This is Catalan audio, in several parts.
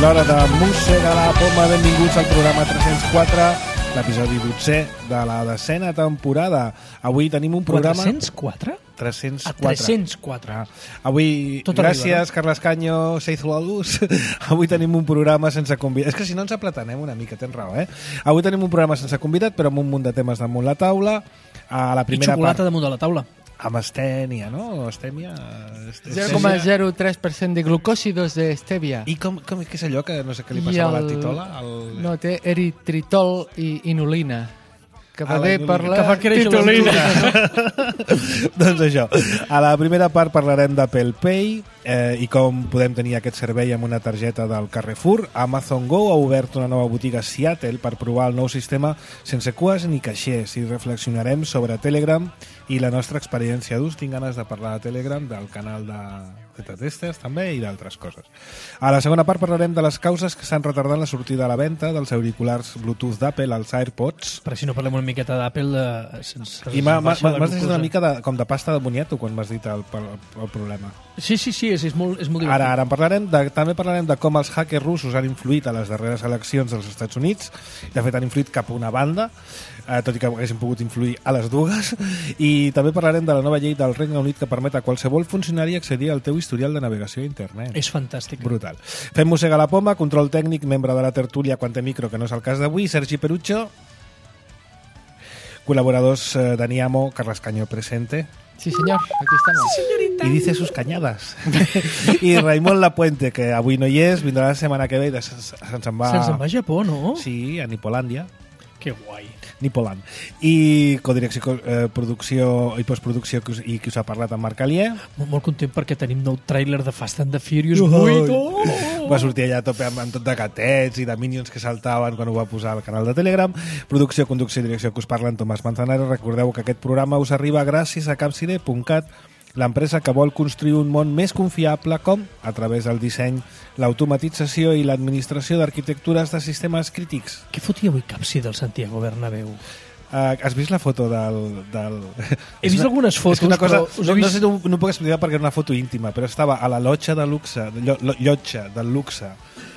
l'hora de Mossega la Poma. Benvinguts al programa 304, l'episodi 12è de la 10a temporada. Avui tenim un programa... 404? 304. 304. Avui, tot gràcies, arriba, no? Carles Caño, Seizu la Luz. Avui tenim un programa sense convidat. És que si no ens aplatanem una mica, tens raó, eh? Avui tenim un programa sense convidat, però amb un munt de temes damunt la taula. A la primera I xocolata part, damunt de la taula. amb estènia, no? Estèmia... 0,03% de glucòsidos de stevia. I què és allò que no sé què li passava a la titola? No, té eritritol i inulina. Que va bé per la Que fa créixer titulina. Doncs això, a la primera part parlarem d'Apple Pay i com podem tenir aquest servei amb una targeta del Carrefour. Amazon Go ha obert una nova botiga a Seattle per provar el nou sistema sense cues ni caixers, i reflexionarem sobre Telegram i la nostra experiència d'ús. Tinc ganes de parlar de Telegram, del canal de Beta Testers també i d'altres coses. A la segona part parlarem de les causes que s'han retardat la sortida a la venda dels auriculars Bluetooth d'Apple, els AirPods. Per si no parlem una miqueta d'Apple sense... I m'has deixat una mica com de pasta de boniato quan m'has dit el problema. Sí, és molt divertit. Ara en parlarem. També parlarem de com els hackers russos han influït a les darreres eleccions dels Estats Units. De fet, han influït cap a una banda, tot i que haguessin pogut influir a les dues. I també parlarem de la nova llei del Regne Unit que permet a qualsevol funcionari accedir al teu historial de navegació a internet. És fantàstic. Brutal. Fem Mossega la Poma, control tècnic, membre de la tertúlia Quante Micro, que no és el cas d'avui, Sergi Perucho, col·laboradors Dani Amo, Carles Caño presente. Sí, señor, aquí estamos. Sí, señorita. I dice sus cañadas. I Raimon Lapuente, que avui no hi és, vindrà la setmana que ve i se'n va... Se'n va a Japó, no? Sí, a Nipolàndia. Que guai. Nipoland. I codirecció, producció i postproducció i qui us ha parlat amb Marc Alier. Molt content perquè tenim nou tràiler de Fast and the Furious 8. Va sortir allà a tope amb tot de gatets i de minions que saltaven quan ho va posar al canal de Telegram. Producció, conducció i direcció que us parlen Tomàs Manzanares. Recordeu que aquest programa us arriba gràcies a Capcide.cat, l'empresa que vol construir un món més confiable com, a través del disseny, l'automatització i l'administració d'arquitectures de sistemes crítics. Què fotia avui Capsi del Santiago Bernabéu? Has vist la foto del... He vist algunes fotos, una cosa, però... no puc explicar perquè era una foto íntima, però estava a la llotja de luxe, llotja del luxe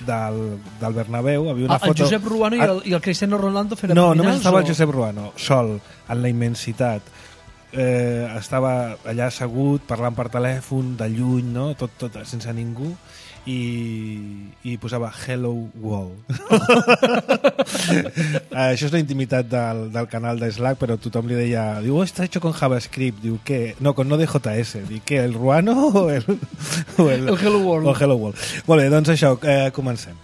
del Bernabéu. Havia una foto... El Josep Ruano i el Cristiano Ronaldo fent No, abdominals? només estava el Josep Ruano, sol, en la immensitat. Estava allà assegut, parlant per telèfon, de lluny, no? tot sense ningú, i posava Hello World. Això és la intimitat del canal de Slack, però tothom li deia, diu, està hecho con JavaScript, diu, què? No, con Node.js, diu, què, el Ruano o el Hello World. O el Hello World. Molt bé, doncs això, comencem.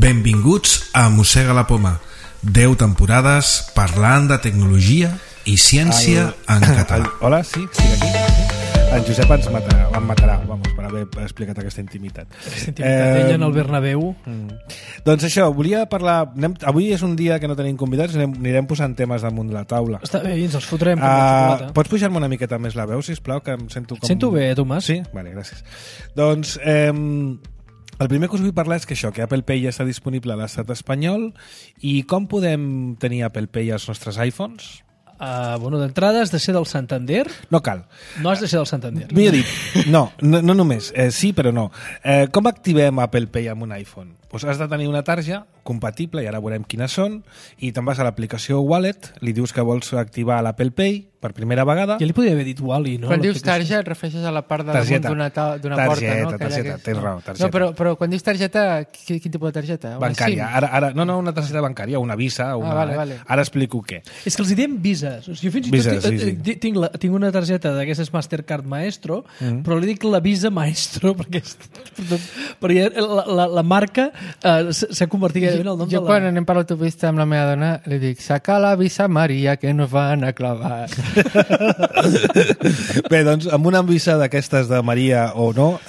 Benvinguts a Mossega la Poma. 10 temporades parlant de tecnologia i ciència en català. Hola, sí, estic aquí. En Josep em matarà, per haver explicat aquesta intimitat. Ella en el Bernabéu. Doncs això, volia parlar... Avui és un dia que no tenim convidats, anirem posant temes damunt de la taula. Està bé, i ens els fotrem com la xocolata. Pots pujar-me una miqueta més la veu, sisplau, que em sento com... Sento bé, Tomàs. Sí? Vale, gràcies. Doncs... el primer que us vull parlar és que que Apple Pay ja està disponible a l'estat espanyol. I com podem tenir Apple Pay als nostres iPhones? D'entrada has de ser del Santander. No cal. No has de ser del Santander. Millor dit, no només. Sí, però no. Com activem Apple Pay amb un iPhone? Pues has de tenir una tarja compatible, i ara veurem quines són, i te'n vas a l'aplicació Wallet, li dius que vols activar l'Apple Pay per primera vegada. Ja li podria haver dit Wally, no? Quan dius tarja et refereixes a la part de damunt d'una porta, no? Targeta, tens raó, targeta. No, però quan dius targeta, quin tipus de targeta? Bancària. Ara, no, una targeta bancària, una Visa. Vale. Ara explico què. És que els diem Vises. Jo fins i tot tinc una targeta d'aquestes Mastercard Maestro, però li dic la Visa Maestro, perquè la marca s'ha convertit en el nom de la... Jo quan anem per l'autopista amb la meva dona li dic, saca la Visa Maria que nos van a clavar. Bé, doncs amb una visa d'aquestes de Maria o no,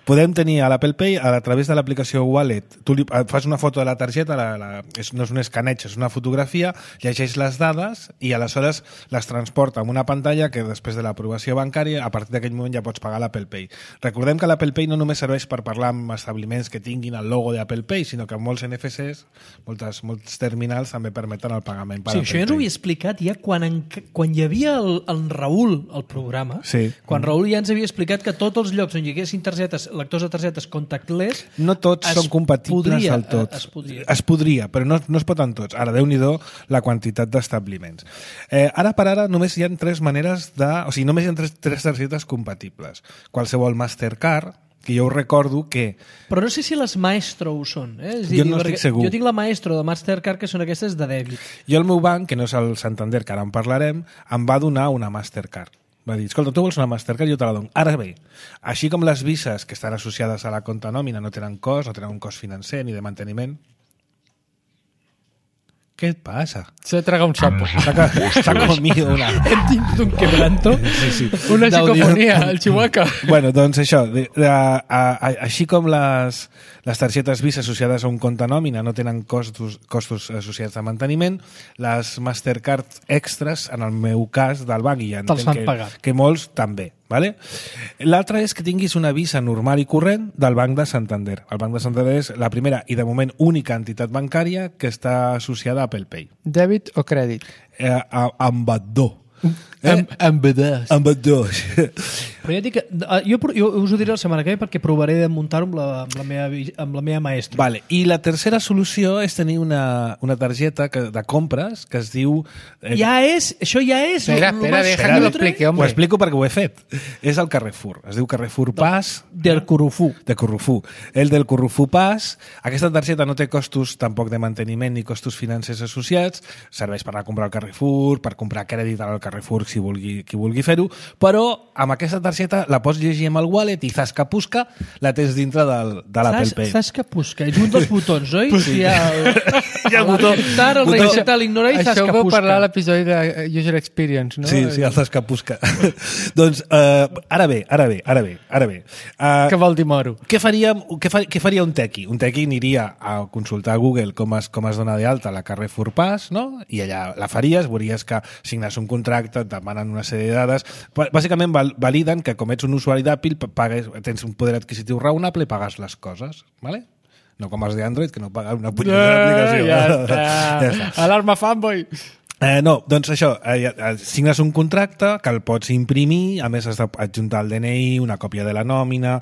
podem tenir a l'Apple Pay a través de l'aplicació Wallet. Tu fas una foto de la targeta, no és un escaneig, és una fotografia, llegeix les dades i aleshores les transporta en una pantalla que després de l'aprovació bancària, a partir d'aquell moment ja pots pagar l'Apple Pay. Recordem que l'Apple Pay no només serveix per parlar amb establiments que tinguin el logo pago d'Apple Pay, sinó que molts NFCs, molts terminals també permeten el pagament per Sí, Apple això ja ens ho Pay. havia explicat ja quan hi havia el Raül al programa, Sí. quan Raül ja ens havia explicat que tots els llocs on hi haguessin lectors de targetes contactless No tots són compatibles del tot. Es podria, però no es pot en tots. Ara, Déu-n'hi-do la quantitat d'establiments. Ara per ara només hi ha tres maneres només hi ha tres targetes compatibles. Qualsevol Mastercard, que jo recordo que... Però no sé si les Maestro ho són. És Jo no estic segur. Jo tinc la Maestro de Mastercard, que són aquestes de dèbit. Jo el meu banc, que no és el Santander, que ara en parlarem, em va donar una Mastercard. Va dir, escolta, tu vols una Mastercard? Jo te la dono. Ara bé, així com les vises que estan associades a la compte nòmina no tenen cost, no tenen un cost financer ni de manteniment, què et passa? Se traga un sapo. S'ha comido una... Hem tingut un quebranto. Sí. Una psicofonia, el Chihuahua. Bueno, doncs això, així com les targetes Visa associades a un compte nòmina no tenen costos associats a manteniment, les Mastercard extras, en el meu cas del banc, i ja Te'ls fan entenc pagar. que molts també. Vale? L'altre és que tinguis una Visa normal i corrent del Banc de Santander. El Banc de Santander és la primera i de moment única entitat bancària que està associada a Apple Pay. Dèbit o crèdit? Amb ambdós. Ambdós. Ambdós. Però ja dic que... Jo us ho diré la setmana que ve perquè provaré de muntar-ho amb la meva Maestro. Vale. I la tercera solució és tenir una targeta de compres que es diu... Això ja és... Espera, deja que lo explique, Ho hombre. explico perquè ho he fet. És el Carrefour. Es diu Carrefour Pass. Del Corufú. De Corufú. El del Corufú Pass. Aquesta targeta no té costos tampoc de manteniment ni costos financers associats. Serveix per anar a comprar al Carrefour, per comprar crèdit al Carrefour si qui vulgui fer-ho, però amb aquesta targeta la pots llegir amb el wallet i zascapusca la tens dintre de l'Apple Pay. Zascapusca. És un dels botons, oi? Sí. Hi ha el botó. El resetar, l'ignorar i Això ho vau zascapusca. parlar a l'episodi de User Experience, no? Sí, el zascapusca. Doncs, ara bé. Que vol dir moro? Què faria un tequi? Un tequi aniria a consultar a Google com es dona d'alta la Carrefour Pass, no? I allà la faries, veuries que signes un contracte, et demanen una sèrie de dades. Bàsicament validen que com ets un usuari d'Apple tens un poder adquisitiu raonable i pagues les coses, ¿vale? No com els d'Android, que no paguen una punyetera aplicació. Ja està. Alarma fanboy. No, doncs això, signes un contracte que el pots imprimir, a més has d'adjuntar el DNI, una còpia de la nòmina,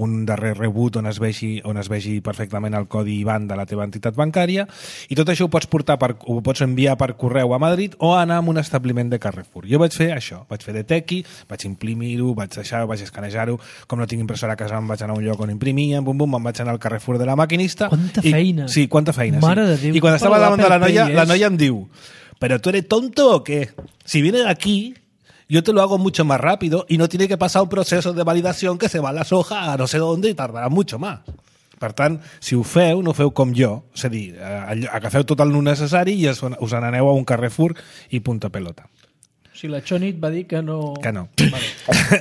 un darrer rebut on es vegi perfectament el codi IBAN de la teva entitat bancària, i tot això ho pots enviar per correu a Madrid o anar a un establiment de Carrefour. Jo vaig fer això, vaig fer de tequi, vaig imprimir-ho, vaig escanejar-ho, com no tinc impressora a casa em vaig anar a un lloc on imprimia, bum, em vaig anar al Carrefour de la maquinista. Quanta feina. Sí, quanta feina. Mare sí. de Déu. I quan estava davant de la noia em diu: ¿pero tú eres tonto o qué? Si vienes aquí, yo te lo hago mucho más rápido y no tiene que pasar un proceso de validación que se va a la soja a no sé dónde y tardará mucho más. Per tant, si ho feu, no ho feu com jo. És a dir, agafeu tot el necessari i us n'aneu a un Carrefour i punta pelota. Si la Chonit va dir que no... Que no. Vale.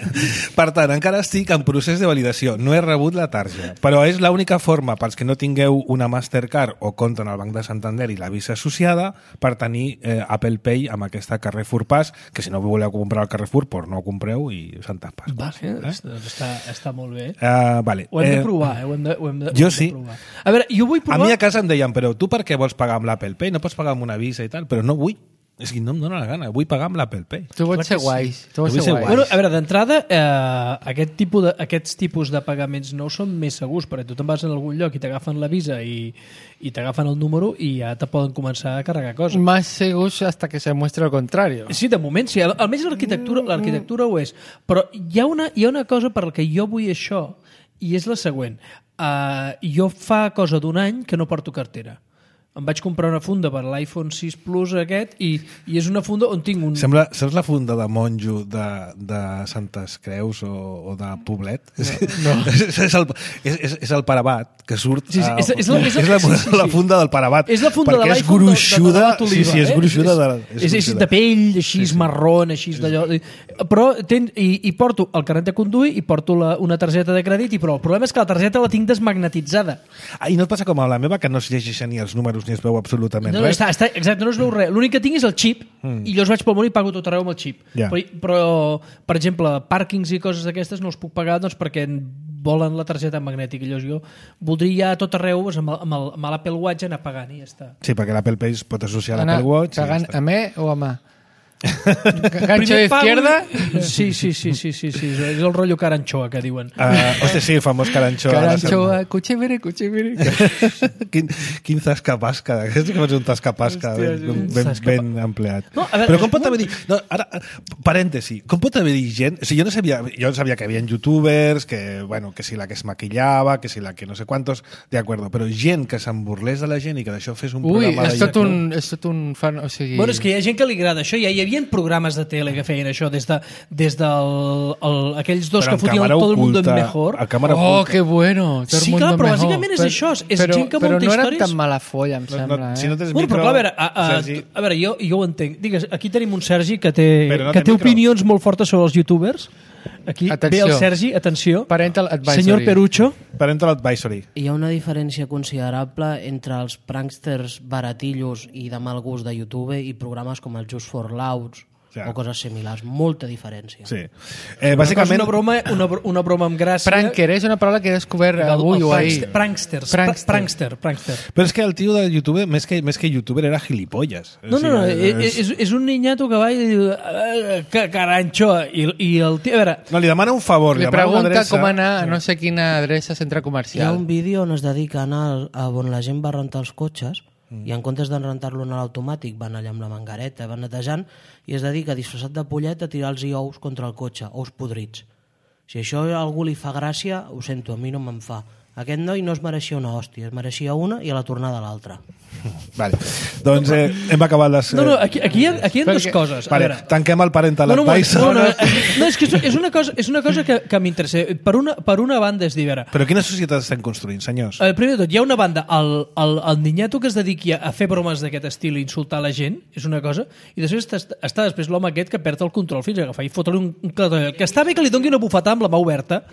Per tant, encara estic en procés de validació. No he rebut la targeta. Però és l'única forma, pels que no tingueu una Mastercard o compte en el Banc de Santander i la Visa associada, per tenir Apple Pay amb aquesta Carrefour Pass, que si no voleu comprar al Carrefour, doncs no ho compreu i santes pasques. Vale, està molt bé. Vale. Ho hem de provar, ho hem de Jo sí. provar. A veure, jo vull provar... A mi a casa em deien, però tu per què vols pagar amb l'Apple Pay? No pots pagar amb una Visa i tal, però no vull. És que no em dóna la gana, vull pagar amb l'Apple Pay. Tu vols ser guais. Bueno, a veure, d'entrada, aquests tipus de pagaments nous són més segurs, perquè tu te'n vas en algun lloc i t'agafen la Visa i t'agafen el número i ja te poden començar a carregar coses. Más segurs hasta que se muestre lo contrario. Sí, de moment sí. Almenys l'arquitectura ho és. Però hi ha una cosa per la que jo vull això, i és la següent. Jo fa cosa d'un any que no porto cartera. Em vaig comprar una funda per l'iPhone 6 Plus aquest i és una funda on tinc un... Saps la funda de monjo de Santes Creus o de Poblet? No. És el parabat que surt... Sí, és la funda del parabat. És la funda de perquè l'iPhone és gruixuda. Sí, és gruixuda. És de pell, així marrón, així d'allò... Però i porto el carnet de conduir i porto una targeta de crèdit i prou. El problema és que la targeta la tinc desmagnetitzada. I no et passa com a la meva, que no es llegeixen ni els números ni es veu absolutament res? Exacte, no es veu res. L'únic que tinc és el xip i llavors vaig pel món i pago tot arreu amb el xip. Yeah. Però, per exemple, pàrquings i coses d'aquestes no els puc pagar doncs, perquè volen la targeta magnètica. Llavors jo voldria a tot arreu amb l'Apple Watch anar pagant i ja està. Sí, perquè l'Apple Pay es pot associar a l'Apple Watch. Pagant a me o a mà? Gancho de izquierda? Sí, és el rotllo caranchoa que diuen. Hòstia, sí, el famós caranchoa. Caranchoa, cuchevere. Quin tascapasca, aquest sí que és un tascapasca ben empleat. No, veure, però com pot haver dit... No, ara, parèntesi, com pot haver dit gent... O sigui, jo sabia que hi havia youtubers, que si la que es maquillava, que si la que no sé quantos, de acuerdo, però gent que se'n burlés de la gent i que d'això fes un programa... Ui, és tot un fan... O sigui... Bueno, és que hi ha gent que li agrada això, hi havia programes de tele que feien això des aquells dos que fotien Todo el mundo es mejor. Oh, que bueno, Todo el sí, mundo clar, però mejor. bàsicament és això, és gent que munta històries. Però no era tan mala folla, em sembla. Si no tens bueno, micro... però clar, a veure, jo ho entenc. Digues, aquí tenim un Sergi que té opinions molt fortes sobre els youtubers. Aquí ve el Sergi, atenció. Parental Advisory. Senyor Perucho. Parental Advisory. Hi ha una diferència considerable entre els pranksters baratillos i de mal gust de YouTube i programes com el Just for Laughs o coses similars. Molta diferència. Sí. Bàsicament... Una broma amb gràcia. Pranker, és una paraula que he descobert avui o ahir. Prankster. Però és que el tio de YouTube, més que youtuber, era gilipolles. No, és un niñato que va i diu carancho, i el tio... A veure... No, li demana un favor. Li pregunta com anar a no sé quina adreça centre comercial. Hi ha un vídeo on es dedica a anar on la gent va rentar els cotxes i en comptes de rentar-lo en l'automàtic van allà amb la mangareta, van netejant i es dedica disfressat de pollet a tirar-los ous contra el cotxe, ous podrits. Si això a algú li fa gràcia, ho sento, a mi no me'n fa. Aquest noi no es mereixia una hòstia, es mereixia una i a la tornada l'altra. Vale. Doncs hem acabat les... No, aquí hi ha dues coses. Vale, tanquem el parental advisor. No, és que és una cosa que m'interessa. Per una banda és dir, però quina societat estem construint, senyors? Primer de tot, hi ha una banda, el niñato que es dediqui a fer bromes d'aquest estil i insultar la gent, és una cosa, i després està després l'home aquest que perd el control fins a agafar i fotre-li un clatell. Que està bé que li doni una bufetada amb la mà oberta,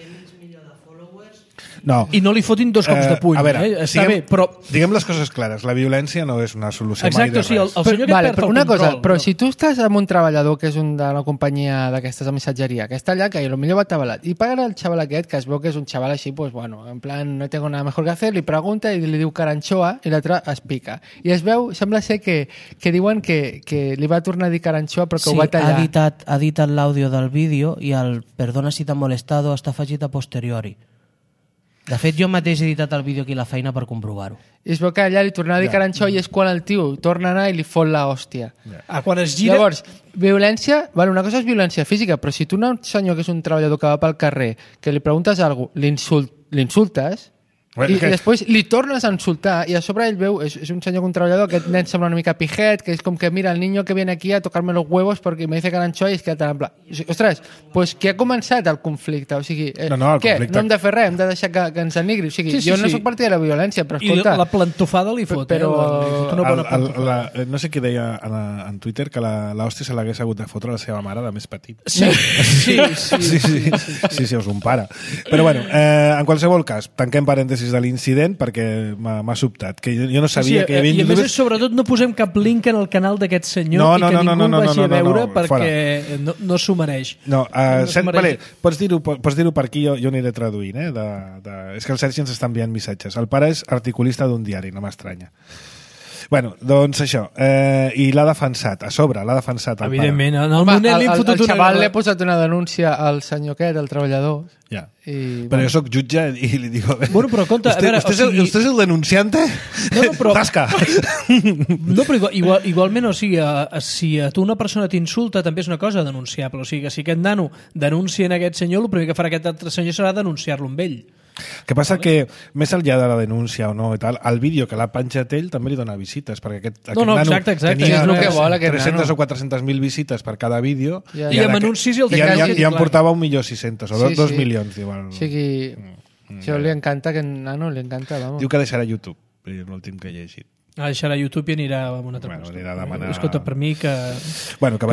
no. I no li fotin dos cops de puny. A veure, està bé, però... Diguem les coses clares, la violència no és una solució mai de res. Sí, el senyor que perd el control. Però si tu estàs amb un treballador que és d'una companyia d'aquestes de missatgeria, que està allà, que potser va atabalat, i paga el xaval aquest, que es veu que és un xaval així, pues bueno, en plan, no tengo nada mejor que hacer, li pregunta i li diu caranchoa, i l'altre es pica. I es veu, sembla ser que diuen que li va tornar a dir caranchoa, però que ho va tallar. Sí, ha editat l'àudio del vídeo i el perdona si t'ha molestado està afegit a posteriori. De fet, jo mateix he editat el vídeo aquí a la feina per comprovar-ho. I es veu que allà li torna a dir caranxó i és quan el tio torna a anar i li fot l'hòstia. Quan es gira... Llavors, violència... Bueno, una cosa és violència física, però si tu un senyor que és un treballador que va pel carrer, que li preguntes alguna cosa, l'insultes... I després li tornes a insultar i a sobre ell veu, és un senyor, un treballador, aquest nen sembla una mica pijet, que és com que mira el niño que viene aquí a tocarme los huevos porque me dice caranxó i es queda tan en pla. Ostres, pues que ha començat el conflicte, o sigui, què? Conflicte... No hem de fer res, hem de deixar que ens enigri, o sigui, jo no soc partida de la violència, però escolta... I la plantofada li fot, però... no sé qui deia en Twitter que l'hòstia se l'hagués hagut de fotre a la seva mare de més petit. Sí, us un pare. Però bueno, en qualsevol cas, tanquem parèntesis de l'incident perquè m'ha sobtat, que jo no sabia que hi havia... I a més, sobretot, no posem cap link en el canal d'aquest senyor i que ningú el vagi a veure perquè no s'ho mereix. Vale, pots dir-ho per aquí, jo aniré traduint. És que el Sergi ens està enviant missatges. El pare és articulista d'un diari, no m'estranya. Bueno, doncs això. I l'ha defensat, a sobre, l'ha defensat el evidentment, pare. en el moment li hem fotut el xaval li ha posat una denúncia al senyor aquest, al treballador. Ja. Però jo soc jutge i li dic... Bueno, però compte... ¿Usted es el denunciante? No, però... Tasca! No, però igualment, o sigui, si a tu una persona t'insulta, també és una cosa denunciable. O sigui, que si aquest nano denuncia en aquest senyor, el primer que farà aquest altre senyor serà denunciar-lo amb ell. Que passa que, més enllà de la denúncia o no i tal, el vídeo que l'ha penjat ell també li dona visites, perquè aquest nano tenia 300 o 400.000 visites per cada vídeo i amb anuncis i en portava 1.600.000 o 2 milions. O sigui, això li encanta, que nano li encanta, vamos. Diu que deixarà YouTube, l'últim que he llegit. Deixarà YouTube i anirà a una altra cosa. Anirà a demanar... Escolta, per mi que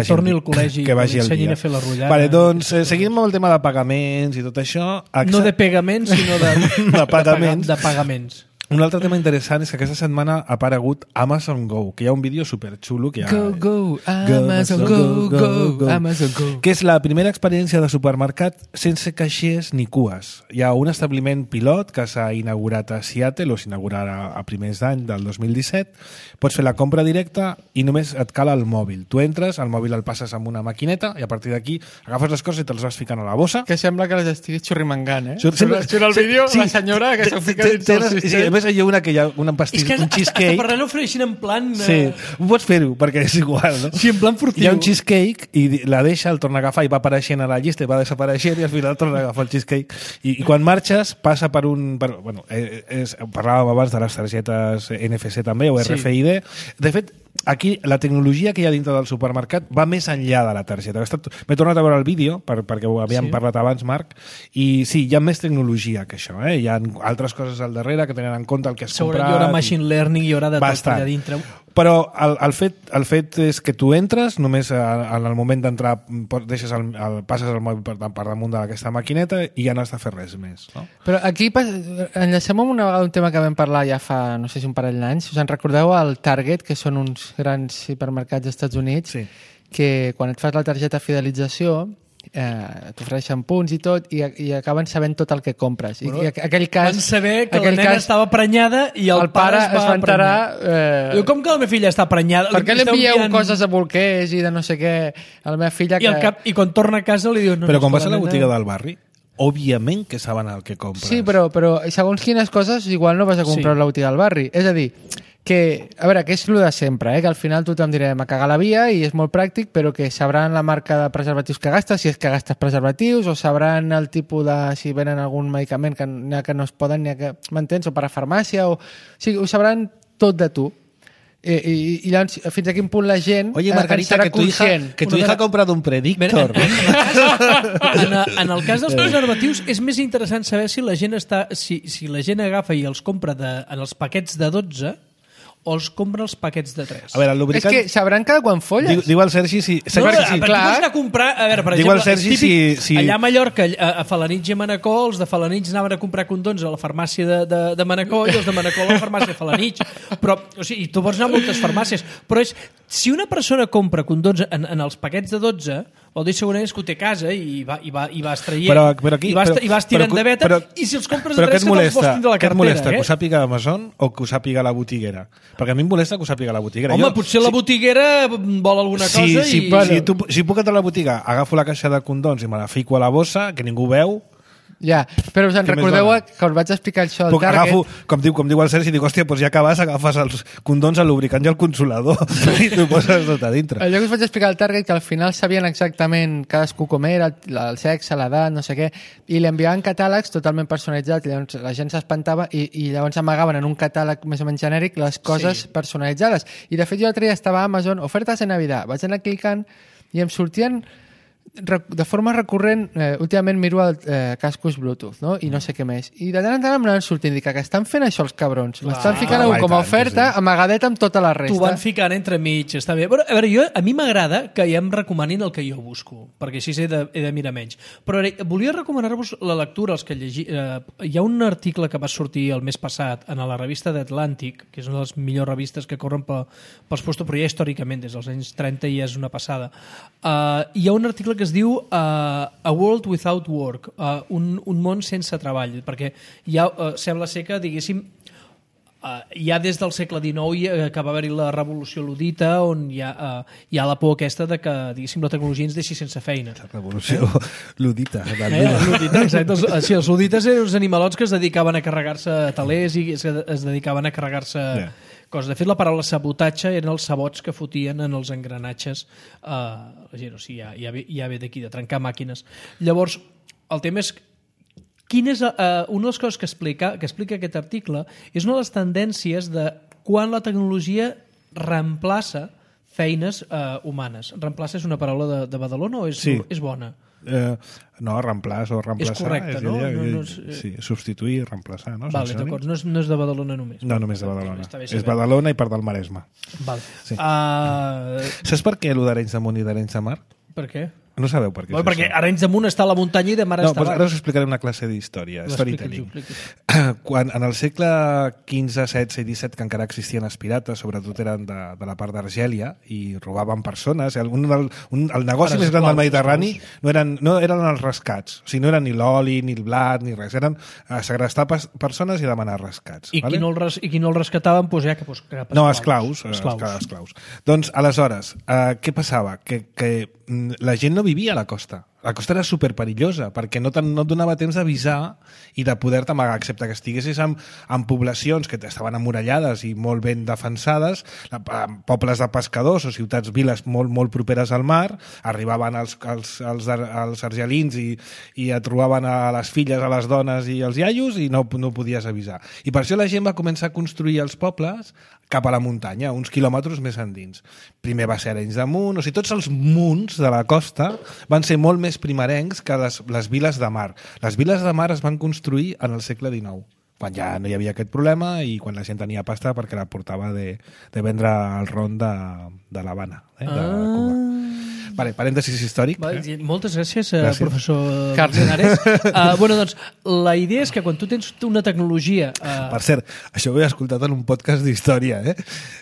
torni al col·legi i m'ensenyin a fer la rotllana. Vale, doncs seguim amb el tema de pagaments i tot això. No de pagaments, sinó de pagaments. De pagaments. Un altre tema interessant és que aquesta setmana ha aparegut Amazon Go, que hi ha un vídeo superxulo que hi ha... Go, Amazon Go, Amazon Go. Que és la primera experiència de supermercat sense caixers ni cues. Hi ha un establiment pilot que s'ha inaugurat a Seattle, o s'inaugurarà a primers d'any del 2017. Pots fer la compra directa i només et cal el mòbil. Tu entres, el mòbil el passes amb una maquineta i a partir d'aquí agafes les coses i te'ls vas ficant a la bossa. Que sembla que les estiguis xurrimangant, Surt el vídeo, la senyora que s'ho fica dins del sistema. A més, hi ha una que hi ha un pastís, un cheesecake. És que per res l'ofereixin en plan... Sí, ho pots fer-ho, perquè és igual, no? Sí, en plan furtiu. Hi ha un cheesecake i la deixa, el torna a agafar i va apareixent a la llista i va desapareixent i al final torna a agafar el cheesecake. I quan marxes, passa per un... parlàvem abans de les targetes NFC també, o RFID. De fet, aquí la tecnologia que hi ha dintre del supermercat va més enllà de la targeta. M'he tornat a veure el vídeo, perquè ho havíem parlat abans, Marc, i sí, hi ha més tecnologia que això. Hi ha altres coses al darrere que tenen en compte el que has comprat. Hi haurà machine learning, hi haurà de tot allà dintre. Però el fet és que tu entres, només en el moment d'entrar passes el mòbil per damunt d'aquesta maquineta i ja no has de fer res més. No? Però aquí enllacem amb una vegada un tema que vam parlar ja fa, no sé si un parell d'anys. Us en recordeu el Target, que són uns grans hipermercats dels Estats Units, que quan et fas la targeta fidelització t'ofereixen punts i tot i acaben sabent tot el que compres. Bueno, I aquell cas, van saber que la nena estava prenyada i el pare es va enterar... Com que la meva filla està prenyada? Per què li envieu coses a bolquers i de no sé què a la meva filla? I quan torna a casa li diu... Però quan vas a la botiga del barri, òbviament que saben el que compres. Sí, però segons quines coses igual no vas a comprar a la botiga del barri. És a dir, que, a veure, que és el de sempre, que al final tothom direm a cagar la via i és molt pràctic, però que sabran la marca de preservatius que gastes, si és que gastes preservatius, o sabran el tipus de... si venen algun medicament que no es poden, m'entens? O per a farmàcia, o sigui, ho sabran tot de tu. I llavors, fins a quin punt la gent... Oye, Margarita, que tu hija ha comprado un Predictor. En el cas dels preservatius és més interessant saber si la gent agafa i els compra en els paquets de 12 o els compra els paquets de 3. A veure, el lubricant... És que sabran cada quan folles. Diu el Sergi si... No, perquè tu vas anar a comprar... A veure, per exemple, Sergi, és típic, allà a Mallorca, a Falanitx i a Manacor, els de Falanitx anaven a comprar condons a la farmàcia de Manacor i els de Manacor a la farmàcia de Falanitx. Però, o sigui, tu pots anar a moltes farmàcies, però si una persona compra condons en els paquets de 12, vol dir segurament que ho té a casa i vas traient, i vas tirant de veta, i si els compres de 3 que te'ls vols tindre a la cartera. Què et molesta, que ho sàpiga Amazon o que ho sàpiga la botiguera? Perquè a mi em molesta que ho sàpiga la botiguera. Home, potser la botiguera vol alguna cosa i... Si puc entrar a la botiga, agafo la caixa de condons i me la fico a la bossa, que ningú veu... Ja, però us en recordeu que us vaig explicar això al Target? Agafo, com diu el Sergi, dic, hòstia, doncs ja que vas, agafes els condons, el lubricant i el consolador i t'ho poses tot a dintre. Allò que us vaig explicar al Target, que al final sabien exactament cadascú com era, el sexe, l'edat, no sé què, i li enviaven catàlegs totalment personalitzats, llavors la gent s'espantava i llavors amagaven en un catàleg més o menys genèric les coses personalitzades. I de fet jo l'altre dia estava a Amazon, ofertes de Navidad, vaig anar clicant i em sortien de forma recurrent, últimament miro cascos Bluetooth, no? I no sé què més. I de tant en tant em anaven sortint, dic que estan fent això els cabrons. L'estan ficant com a oferta, amagadet amb tota la resta. T'ho van ficant entre mig, està bé. Però, a veure, a mi m'agrada que ja em recomanin el que jo busco, perquè així he de mirar menys. Però volia recomanar-vos la lectura, els que hi ha un article que va sortir el mes passat en la revista The Atlantic, que és una de les millors revistes que corren pels puestos, però ja històricament, des dels anys 30 ja és una passada. Hi ha un article que es diu A World Without Work, un món sense treball, perquè sembla ser que, diguéssim, ja des del segle XIX que va haver-hi la revolució ludita, on hi ha la por aquesta de que, diguéssim, la tecnologia ens deixi sense feina. La revolució ludita. Exacte. Els ludites eren uns animalots que es dedicaven a carregar-se talers i es dedicaven a carregar-se... coses. De fet, la paraula sabotatge eren els sabots que fotien en els engranatges la gent, o sigui, ja ve d'aquí, de trencar màquines. Llavors, el tema és una de les coses que explica aquest article és una de les tendències de quan la tecnologia reemplaça feines humanes. Reemplaça és una paraula de Badalona o és bona? No, reemplaç o reemplaçar. És correcte, no? Sí, substituir, reemplaçar, no? Vale, d'acord, no és de Badalona només. No, només de Badalona. És Badalona i part del Maresme. Vale. Sí. Saps per què allò d'Arenys de Munt i d'Arenys de Mar? Per què? No sabeu per què és perquè això. Arenys de Munt està a la muntanya i de mar està Ara us explicaré una classe d'història, storytelling. Quan en el segle XV, XVI i XVII, que encara existien els pirates, sobretot eren de la part d'Argèlia, i robaven persones. El negoci més gran del Mediterrani no eren els rescats. O sigui, no eren ni l'oli, ni el blat, ni res. Eren segrestar persones i demanar rescats. I qui no el rescataven, doncs ja que... No, esclaus. Doncs, aleshores, què passava? Que la gent no vivia a la costa. La costa era superperillosa perquè no et donava temps d'avisar i de poder-te amagar, excepte que estiguessis en poblacions que estaven emmurallades i molt ben defensades, pobles de pescadors o ciutats-viles molt properes al mar, arribaven els argelins i et trobaven a les filles, a les dones i els iaios i no podies avisar. I per això la gent va començar a construir els pobles cap a la muntanya, uns quilòmetres més endins. Primer va ser Arenys de Munt, o sigui, tots els munts de la costa van ser molt més primerencs que les viles de mar. Les viles de mar es van construir en el segle XIX, quan ja no hi havia aquest problema i quan la gent tenia pasta perquè la portava de vendre el ron de l'Havana, de Cuba. Vale, parèntesis històric. Moltes gràcies, professor Carles. Doncs la idea és que quan tu tens una tecnologia... Per cert, això ho he escoltat en un podcast d'història,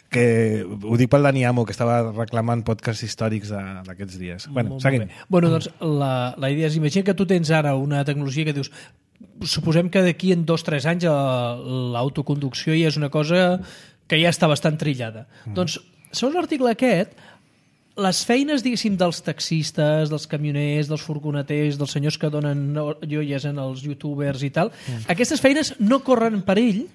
que ho dic pel Dani Amo, que estava reclamant podcasts històrics d'aquests dies. Seguim. Doncs la idea és, imagina que tu tens ara una tecnologia que dius, suposem que d'aquí en 2 o 3 anys l'autoconducció ja és una cosa que ja està bastant trillada. Doncs, segons l'article aquest, les feines, diguéssim, dels taxistes, dels camioners, dels furgoneters, dels senyors que donen joies en els youtubers i tal, aquestes feines no corren perill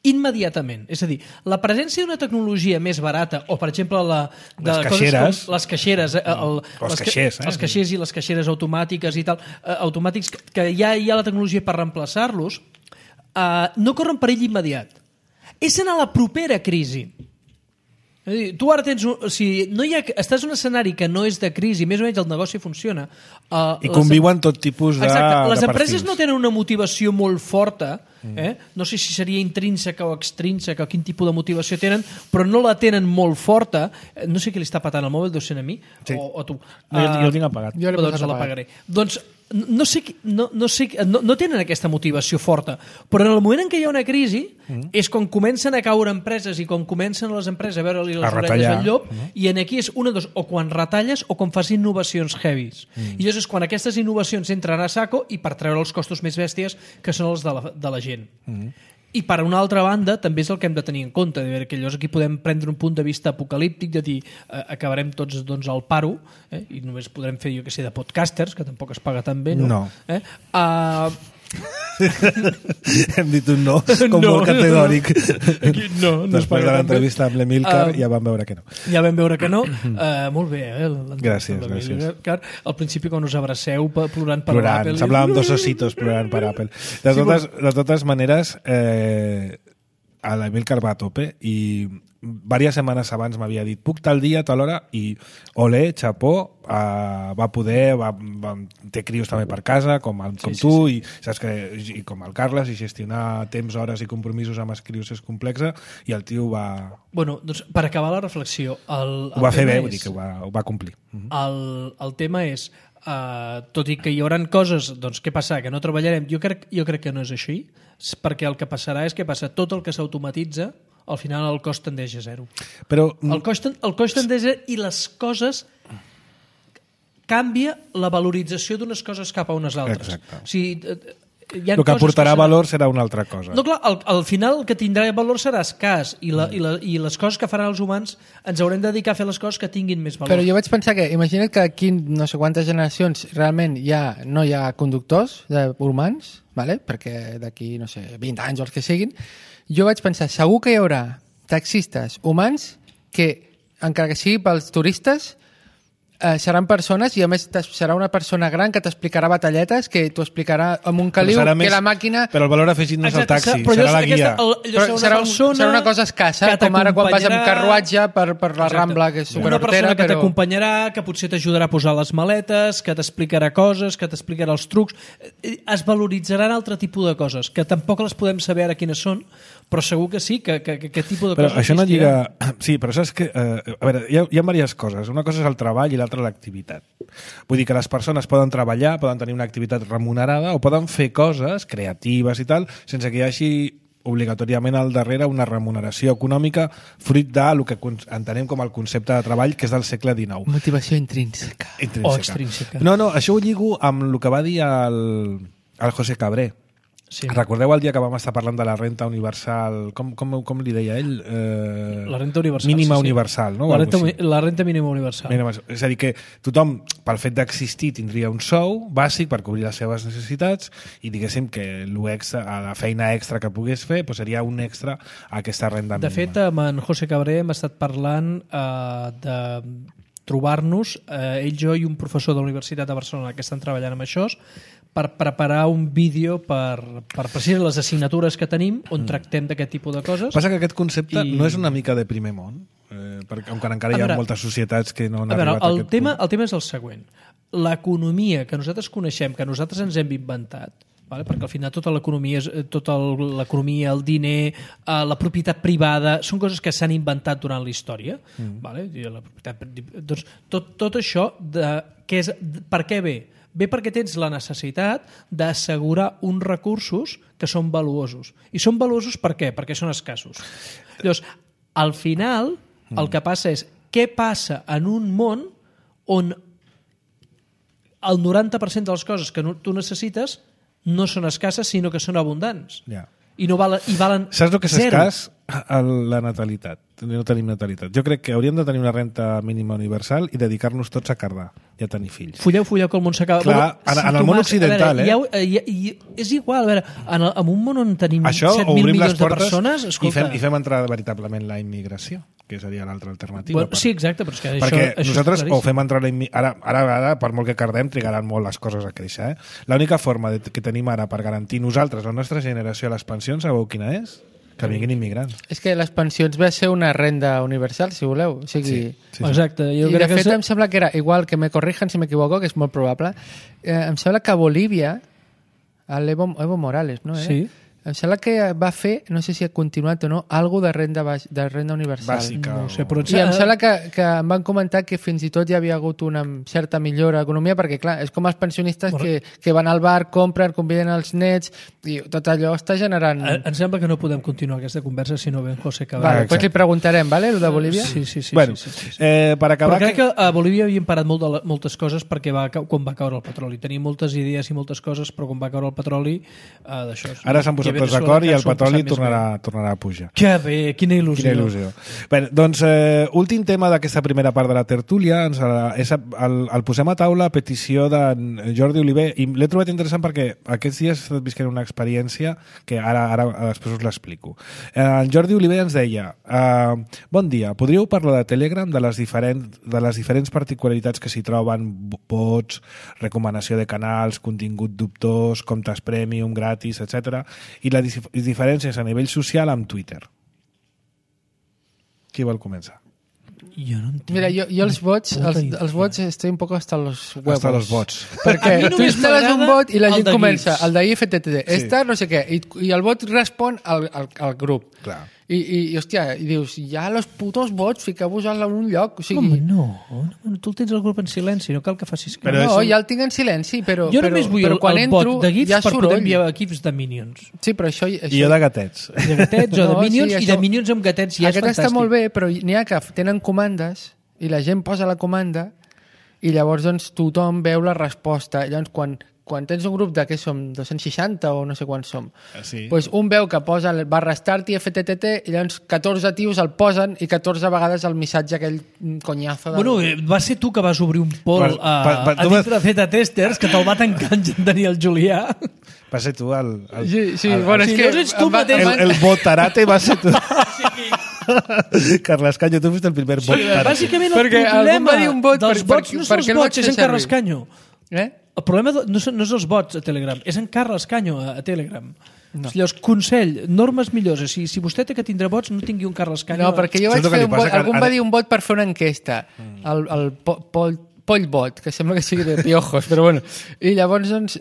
immediatament. És a dir, la presència d'una tecnologia més barata, o per exemple les caixeres, les caixeres, els caixers i les caixeres automàtiques i tal, automàtics que ja hi ha la tecnologia per reemplaçar-los, no corren perill immediat. És en la propera crisi. Tu ara tens... estàs en un escenari que no és de crisi, més o menys el negoci funciona. I conviuen tot tipus de perfils. Les empreses no tenen una motivació molt forta, no sé si seria intrínseca o extrínseca o quin tipus de motivació tenen, però no la tenen molt forta. No sé qui li està patant el mòbil, deu ser a mi o tu. Jo el tinc apagat. Doncs l'apagaré. Doncs no tenen aquesta motivació forta, però en el moment en què hi ha una crisi és quan comencen a caure empreses i quan comencen les empreses a veure-li les orelles al llop, i aquí és una dos, o quan retalles o quan fas innovacions heavies. I llavors és quan aquestes innovacions entren a saco i per treure els costos més bèsties que són els de la gent. I per una altra banda també és el que hem de tenir en compte, que llavors aquí podem prendre un punt de vista apocalíptic de dir acabarem tots al paro i només podrem fer, jo que sé, de podcasters, que tampoc es paga tan bé, no? Hem dit un no, com molt categòric. No després de l'entrevista amb l'Emílcar ja vam veure que no. Molt bé, gràcies. Al principi quan us abraceu plorant per Apple, semblàvem dos ositos plorant per Apple. De totes maneres, a l'Emílcar va a tope i diverses setmanes abans m'havia dit puc tal dia, tal hora, i olé, xapó, va poder, té crios també per casa, com tu, i saps que i com el Carles, i gestionar temps, hores i compromisos amb els crios és complexa, i el tio va... Doncs per acabar la reflexió... Ho va fer bé, vull dir que ho va complir. El tema és, tot i que hi haurà coses, doncs què passarà? Que no treballarem? Jo crec que no és així, perquè el que passarà és que passa tot el que s'automatitza, al final el cost tendeix a zero. Però... El cost tendeix a zero i les coses... canvia la valorització d'unes coses cap a unes altres. Exacte. O sigui, el que aportarà valor serà una altra cosa. No, clar, al final el que tindrà valor serà escàs i les coses que faran els humans ens haurem de dedicar a fer les coses que tinguin més valor. Però jo vaig pensar que, imagina't que aquí no sé quantes generacions realment no hi ha conductors humans, vale? Perquè d'aquí, no sé, 20 anys o els que siguin, jo vaig pensar, segur que hi haurà taxistes humans que, encara que sigui pels turistes, seran persones i a més serà una persona gran que t'explicarà batalletes, que t'ho explicarà amb un caliu, que la màquina... Però el valor afegit no és el taxi, serà la guia. Serà una cosa escassa, com ara quan vas amb carruatge per la Rambla, que és superhortera. Una persona que t'acompanyarà, que potser t'ajudarà a posar les maletes, que t'explicarà coses, que t'explicarà els trucs. Es valoritzaran altre tipus de coses, que tampoc les podem saber ara quines són, però segur que sí, que aquest tipus de coses... Però això no lliga... Sí, però saps que... A veure, hi ha diverses coses. Una cosa és el treball i l'altra altra l'activitat. Vull dir que les persones poden treballar, poden tenir una activitat remunerada o poden fer coses creatives i tal, sense que hi hagi obligatòriament al darrere una remuneració econòmica fruit del que entenem com el concepte de treball que és del segle XIX. Motivació intrínseca. O extrínseca. No, això ho lligo amb el que va dir el José Cabré. Sí. Recordeu el dia que vam estar parlant de la renta universal, com li deia ell? La renta universal. Mínima universal, no? La renta mínima universal. És a dir, que tothom, pel fet d'existir, tindria un sou bàsic per cobrir les seves necessitats i diguéssim que la feina extra que pogués fer seria un extra a aquesta renda mínima. De fet, amb en José Cabré hem estat parlant de trobar-nos, ell, jo i un professor de la Universitat de Barcelona que estan treballant amb això, per preparar un vídeo per precisar les assignatures que tenim on tractem d'aquest tipus de coses. Passa que aquest concepte no és una mica de primer món, perquè encara hi ha moltes societats que no han arribat a aquest punt. El tema és el següent. L'economia que nosaltres coneixem, que nosaltres ens hem inventat, perquè al final tota l'economia, el diner, la propietat privada, són coses que s'han inventat durant la història. Doncs tot això, per què ve? Ve perquè tens la necessitat d'assegurar uns recursos que són valuosos. I són valuosos per què? Perquè són escassos. Llavors, al final, el que passa és què passa en un món on el 90% de les coses que tu necessites no són escasses, sinó que són abundants. Ja. I valen saps el que és zero. escàs? La natalitat. No tenim natalitat. Jo crec que hauríem de tenir una renta mínima universal i dedicar-nos tots a cardar i a tenir fills. Fulleu, que el món s'acaba. Clar, en el món occidental, és igual, a veure, en un món on tenim 7.000 milions de persones, escolta... I fem entrar veritablement la immigració, que seria l'altra alternativa. Sí, exacte, però és que perquè això nosaltres o fem entrar ara, per molt que cardem, trigaran molt les coses a créixer. L'única forma que tenim ara per garantir nosaltres, la nostra generació, les pensions, sabeu quina és? Que vinguin immigrants. És que les pensions va ser una renda universal, si voleu. O sigui, sí. Exacte. I de fet em sembla que era igual, que me corrijan si m'equivoco, que és molt probable, em sembla que a Bolívia, Evo Morales, no? Sí. Em sembla que va fer, no sé si ha continuat o no, alguna de renda universal. Bàsica. No sé, però... I em sembla que em van comentar que fins i tot hi havia hagut una certa millora d'economia, perquè clar, és com els pensionistes que van al bar, compren, conviden els nets, i tot allò està generant... Em sembla que no podem continuar aquesta conversa si no ve en José Cabrera. Vale, doncs li preguntarem, ¿vale, lo de Bolívia? Sí. Bueno, per acabar... Però crec que a Bolívia havien parat moltes coses perquè quan va caure el petroli. Tenim moltes idees i moltes coses, però quan va caure el petroli, d'això... Ara s'han posat tots d'acord i el petroli tornarà a pujar. Que bé, quina il·lusió. Bé, doncs, últim tema d'aquesta primera part de la tertúlia, el posem a taula a petició de Jordi Oliver, i l'he trobat interessant perquè aquests dies he estat visquent una experiència que ara després us l'explico. En Jordi Oliver ens deia: bon dia, podríeu parlar de Telegram, de les diferents particularitats que s'hi troben, bots, recomanació de canals, contingut dubtós, comptes premium, gratis, etc. i les diferències a nivell social amb Twitter. Qui vol començar? Jo no entenc. Mira, jo els bots estoy un poco hasta los huevos. Hasta los bots. Perquè tu instal·les un bot i la gent comença, GIFs. el de IFTTT, no sé què, i el bot respon al grup. Clar. I hòstia, i dius, ja los putos bots, fiqueu-vos en un lloc. O sigui... Home, no, tu el tens al grup en silenci, no cal que facis cas. No, ja el tinc en silenci, però jo només vull el bot de GIFs per poder enviar equips de Minions. Sí, però això... I jo de gatets. De gatets o de Minions, i de Minions amb gatets ja és fantàstic. Aquest està molt bé, però n'hi ha que tenen comandes i la gent posa la comanda i llavors doncs, tothom veu la resposta. Llavors, quan tens un grup de, què som, 260 o no sé quants som, doncs un veu que posa ¡start i FTTT i llavors 14 tios el posen i 14 vegades el missatge aquell conyazo. Bueno, va ser tu que vas obrir un poll a dintre de Z-Testers que te'l va tancar en Daniel Julià. Va ser tu bueno, és que... no ets tu mateix. El botarate va ser tu. Carles Canyo, tu fuiste el primer botarate. Bàsicament el problema dels bots no són els bots, és en Carles Canyo. El problema no és els bots a Telegram, és en Carles Canyo a Telegram. No. Llavors, consell, normes millors. Si vostè té que tindre bots, no tingui un Carles Canyo. No, perquè jo vaig fer un bot, algú va dir un bot per fer una enquesta. El Pollbot, que sembla que sigui de piojos, però bueno. I llavors, doncs,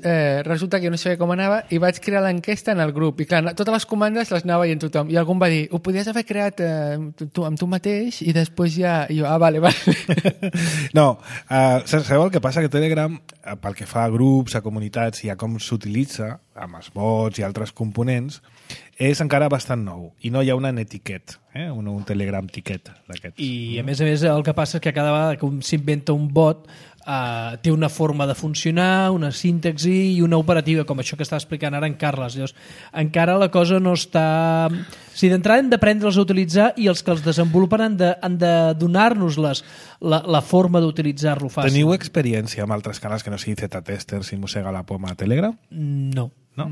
resulta que jo no sabia com anava i vaig crear l'enquesta en el grup. I clar, totes les comandes les anava veient tothom. I algú em va dir, ho podies haver creat amb tu mateix i després ja... I jo, vale. No, sabeu el que passa? Que Telegram, pel que fa a grups, a comunitats i a com s'utilitza, amb els bots i altres components, és encara bastant nou i no hi ha una etiquet, un Telegram tiquet d'aquests. I a més el que passa és que cada vegada que s'inventa un bot té una forma de funcionar, una síntexi i una operativa, com això que està explicant ara en Carles. Llavors, encara la cosa no està... Si d'entrada hem d'aprendre-los a utilitzar i els que els desenvolupen han de donar-nos la forma d'utilitzar-lo fàcil. Teniu experiència amb altres canals que no sigui Z-Testers i Mossega la Poma a Telegram? No. No?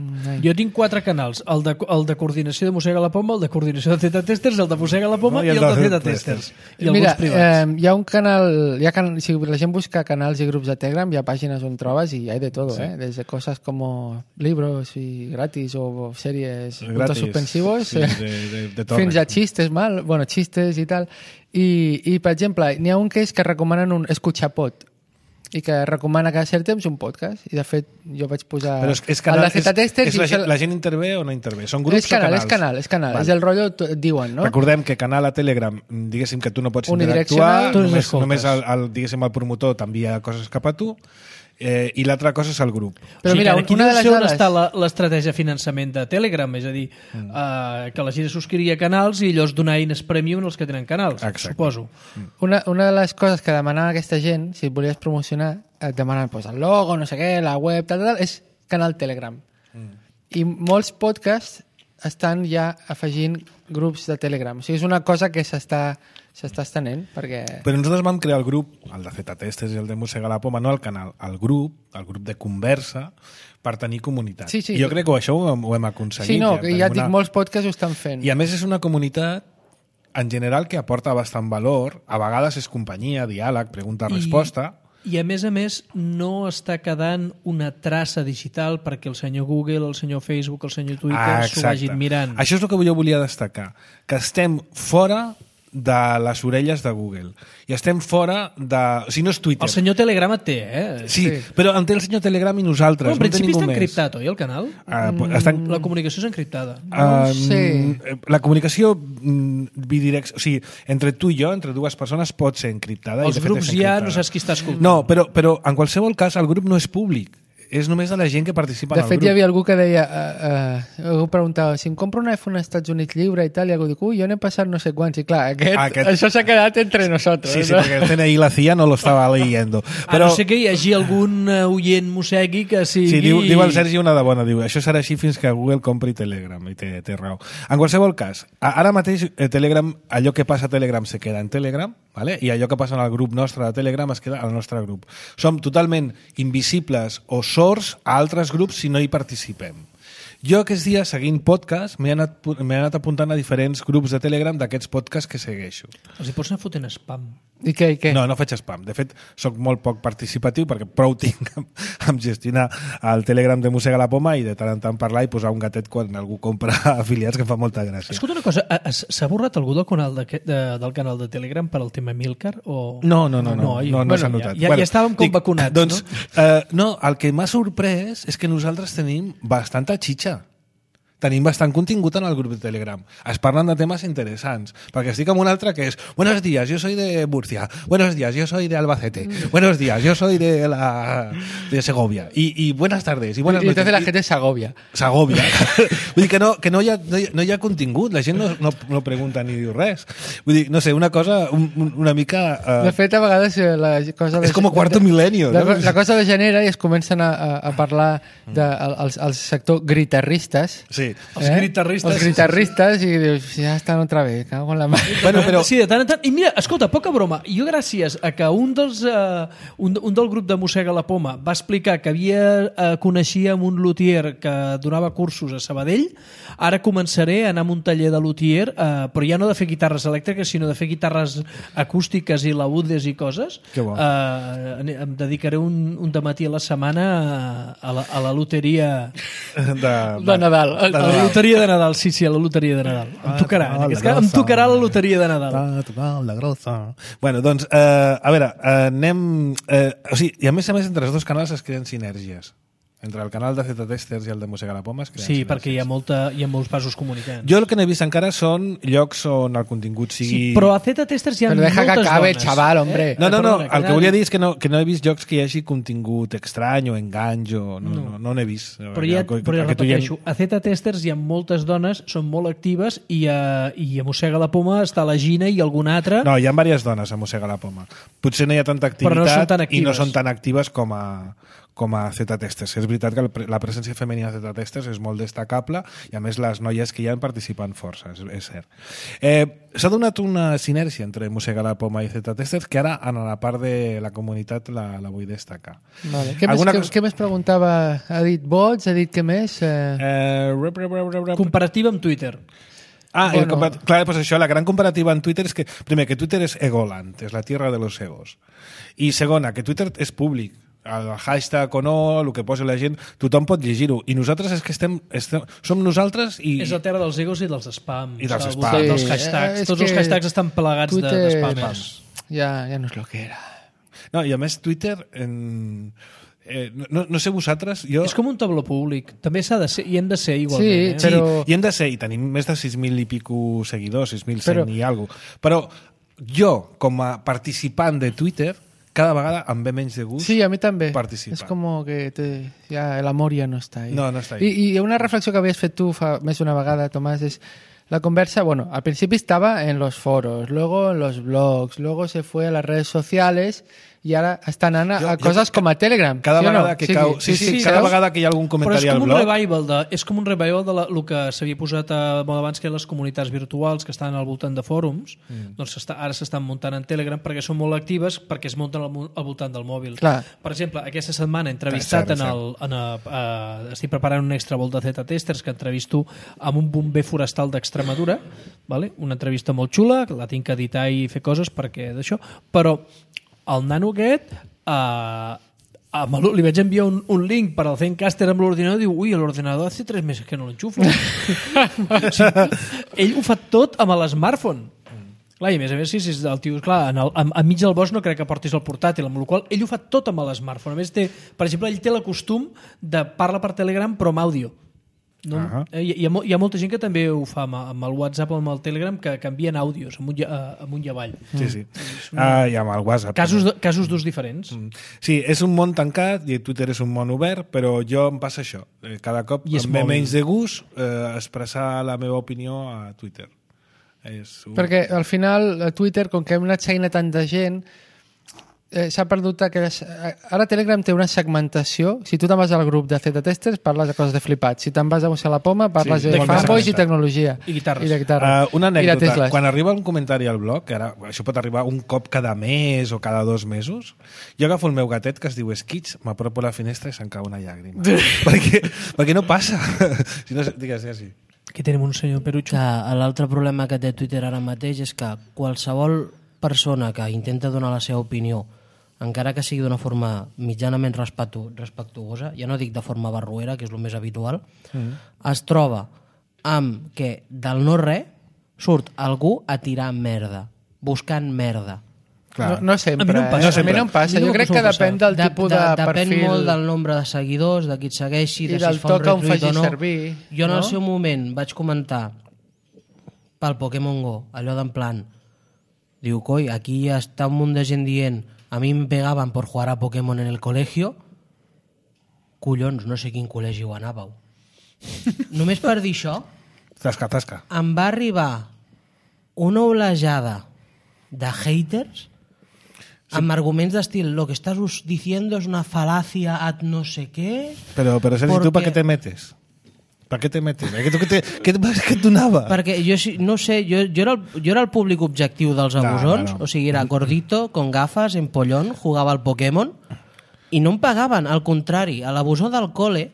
Jo tinc 4 canals, el de coordinació de Mossega la Poma, el de coordinació de Z-Testers, el de Mossega la Poma i el de Z-Testers. I alguns privats. Hi ha un canal, si la gent busca canals i grups de Telegram, hi ha pàgines on trobes i hi ha de todo, sí. Desde cosas como libros y gratis o series puntos suspensivos, sí, de fins a chistes, chistes i tal. I per exemple, n'hi ha un que és que recomanen un escuchapod, i que recomana cada cert temps un podcast. I de fet jo vaig posar... Però és canal, la gent intervé o no intervé? Són grups o canals? És canal. Vale. És el rotllo, diuen, no? Recordem que canal a Telegram, diguéssim que tu no pots interactuar, només el promotor t'envia coses cap a tu, i l'altra cosa és el grup. Però mira, aquí no sé on està l'estratègia de finançament de Telegram, és a dir, que la gent subscrivia canals i llavors donar eines premium als que tenen canals. Exacte. Suposo. Una de les coses que demanava aquesta gent, si et volies promocionar, et demanen el logo, no sé què, la web, tal, és canal Telegram. I molts podcasts estan ja afegint grups de Telegram. O sigui, és una cosa que s'està estenent, perquè... Però nosaltres vam crear el grup, el de Z-Testers i el de Mossega la Poma, no el canal, el grup de conversa, per tenir comunitat. Sí. I jo crec que això ho hem aconseguit. Sí, no, ja et dic, molts podcasts ho estan fent. I a més és una comunitat, en general, que aporta bastant valor. A vegades és companyia, diàleg, pregunta-resposta... I a més, no està quedant una traça digital perquè el senyor Google, el senyor Facebook, el senyor Twitter s'ho vagin mirant. Això és el que jo volia destacar, que estem fora de les orelles de Google. I estem fora de... O sigui, no és Twitter. El senyor Telegram et té, Sí, però en té el senyor Telegram i nosaltres. En principi està encriptat, oi, el canal? La comunicació és encriptada. Sí. La comunicació bidireccional, o sigui, entre tu i jo, entre dues persones, pot ser encriptada. Els grups ja no saps qui està escoltant. No, però en qualsevol cas el grup no és públic. És només de la gent que participa en el grup. De fet, hi havia algú que deia, algú preguntava, si em compro un iPhone als Estats Units lliure i tal, i algú diu, jo n'he passat no sé quants, i clar, això s'ha quedat entre nosaltres. Sí, perquè el CNI i la CIA no lo estava leyendo. Però... A no sé que hi hagi algun oient mossegui que sigui... Sí, diu el Sergi una de bona, diu, això serà així fins que Google compri Telegram, i té raó. En qualsevol cas, ara mateix Telegram, allò que passa a Telegram se queda en Telegram, vale? I allò que passa en el grup nostre de Telegram es queda al nostre grup. Som totalment invisibles o sords a altres grups si no hi participem. Jo aquests dies, seguint podcast, m'he anat apuntant a diferents grups de Telegram d'aquests podcasts que segueixo. Els hi pots anar fotent spam. I què? No faig spam. De fet, sóc molt poc participatiu perquè prou tinc amb gestionar el Telegram de Mossega la Poma i de tant en tant parlar i posar un gatet quan algú compra afiliats, que em fa molta gràcia. Escolta una cosa, s'ha borrat algú del canal de Telegram per al tema Milcar? O... No s'ha notat. Ja estàvem com vacunats, doncs, no? El que m'ha sorprès és que nosaltres tenim bastanta xitxa. Tenim bastant contingut en el grup de Telegram. Es parlen de temes interessants. Perquè estic amb un altre que és buenos días, yo soy de Murcia. Buenos días, yo soy de Albacete. Buenos días, yo soy de Segovia. Y buenas tardes. Y buenas noches. Entonces la gente es Segovia. Segovia. Vull dir que no hi ha contingut. La gent no pregunta ni diu res. Vull dir, no sé, una cosa una mica... De fet, a vegades la cosa... És com Cuarto Milenio. La cosa degenera i es comencen a parlar del sector guitarristes. Sí. Els guitarristes i dius, ja estan otra vez, cago en la mà. Però... Sí, de tant en tant. I mira, escolta, poca broma. Jo gràcies a que un del grup de Mossega la Poma va explicar que coneixia un luthier que donava cursos a Sabadell, ara començaré a anar a un taller de luthier, però ja no de fer guitarres elèctriques, sinó de fer guitarres acústiques i laúdes i coses. Que bo. Em dedicaré un dematí a la setmana a la loteria de Nadal. A la loteria de Nadal, sí, a la loteria de Nadal. Em tocarà la loteria de Nadal. La grossa. Bueno, doncs, a veure, anem... o sigui, i a més, entre els dos canals es creen sinergies. Entre el canal de Z-Testers i el de Mossega la Poma es creen sinergies. Perquè hi ha molts vasos comunicants. Jo el que n'he vist encara són llocs on el contingut sigui... Sí, però a Z-Testers hi ha moltes dones. Però deja que acabe, chaval, hombre. No, el que volia dir és que no he vist llocs que hi hagi contingut estrany o enganys o... No n'he vist. Però ja repeteixo, a Z-Testers hi ha moltes dones, són molt actives i a Mossega la Poma està la Gina i alguna altra... No, hi ha diverses dones a Mossega la Poma. Potser no hi ha tanta activitat i no són tan actives com a Z-Testers. És veritat que la presència femenina de Z-Testers és molt destacable i a més les noies que hi han participen força, és cert. S'ha donat una sinergia entre Mossega la Poma i Z-Testers que ara en la part de la comunitat la vull destacar. Vale. Què més preguntava? Ha dit bots? Ha dit què més? Comparativa amb Twitter. Clar, pues això, la gran comparativa en Twitter és que, primer, que Twitter és egoland, és la tierra de los egos. I segona, que Twitter és públic. El hashtag o no, el que posa la gent, tothom pot llegir-ho. I nosaltres és que som nosaltres i... És la terra dels egos i dels spams. I dels spams. Dels hashtags. Tots els hashtags estan plegats de spams. Ja no és el que era. No, i a més Twitter... No sé vosaltres, jo... És com un tabló públic. També s'ha de ser, i hem de ser igualment. Sí, però... i hem de ser, i tenim més de 6.000 i pico seguidors, 6.100 i alguna cosa. Però jo, com a participant de Twitter, cada vegada em ve menys de gust sí, a mi també. Participar. És com que l'amor ja no està ahí. No està ahí. I una reflexió que havies fet tu fa més d'una vegada, Tomàs, és la conversa, bueno, al principio estaba en los foros, luego en los blogs, luego se fue a las redes sociales i ara estan anant a coses com a Telegram. Cada vegada que cau... cada vegada que hi ha algun comentari al blog... És com un revival de el que s'havia posat a moda abans, que les comunitats virtuals que estan al voltant de fòrums, doncs ara s'estan muntant en Telegram perquè són molt actives, perquè es munten al voltant del mòbil. Clar. Per exemple, aquesta setmana he entrevistat estic preparant un extra vol de Z-Testers que entrevisto amb un bomber forestal d'Extremadura, vale? Una entrevista molt xula, la tinc que editar i fer coses perquè d'això, però el nano aquest li vaig enviar un link per al Zencaster amb l'ordinador i diu, ui, l'ordinador hace 3 mesos que no l'enxufo. O sigui, ell ho fa tot amb l'smartphone. Clar, i a més, sí, el tio, clar, enmig del bosc no crec que portis el portàtil, amb la qual ell ho fa tot amb l'smartphone. A més, per exemple, ell té el costum de parlar per Telegram però amb àudio. No? Hi ha molta gent que també ho fa amb el WhatsApp o amb el Telegram, que canvien àudios amunt i avall. Sí. I amb el WhatsApp. Casos d'ús diferents. Sí, és un món tancat i Twitter és un món obert, però jo em passa això. Cada cop em ve menys de gust expressar la meva opinió a Twitter. Perquè al final a Twitter, com que hem anat seguint a tanta gent, s'ha perdut ara Telegram té una segmentació. Si tu te'n vas al grup de Z-Testers parles de coses de flipats, si te'n vas a Mossega la Poma parles de fanboys i tecnologia i guitarres. Una anècdota, quan arriba un comentari al blog, que ara això pot arribar un cop cada mes o cada 2 mesos, jo agafo el meu gatet que es diu Skitch, m'apropo a la finestra i se'm cau una llàgrima perquè no passa. Si no, digues així. Aquí tenim un senyor Perucho. L'altre problema que té Twitter ara mateix és que qualsevol persona que intenta donar la seva opinió, encara que sigui d'una forma mitjanament respectuosa, ja no dic de forma barruera, que és el més habitual, es troba amb que del no res surt algú a tirar merda, buscant merda. No sempre. A mi no em passa. Jo crec que depèn del tipus de perfil. Depèn molt del nombre de seguidors, de qui et segueixi, de si es fa un retweet o no. Jo en el seu moment vaig comentar pel Pokémon Go, allò d'en plan, diu, coi, aquí està un munt de gent dient a mi me pegaven por jugar a Pokémon en el colegio. Collons, no sé quin col·legi ho anàveu. Només per dir això, tasca. Em va arribar una olejada de haters amb arguments d'estil lo que estás diciendo es una falacia ad no sé qué. Però Sergi, tu per què te metes? Per què te metes? Què et donava? Perquè jo, no sé, jo era el públic objectiu dels abusons, o sigui, era gordito, con gafas, empollón, jugava al Pokémon, i no em pagaven, al contrari, a l'abusor del col·le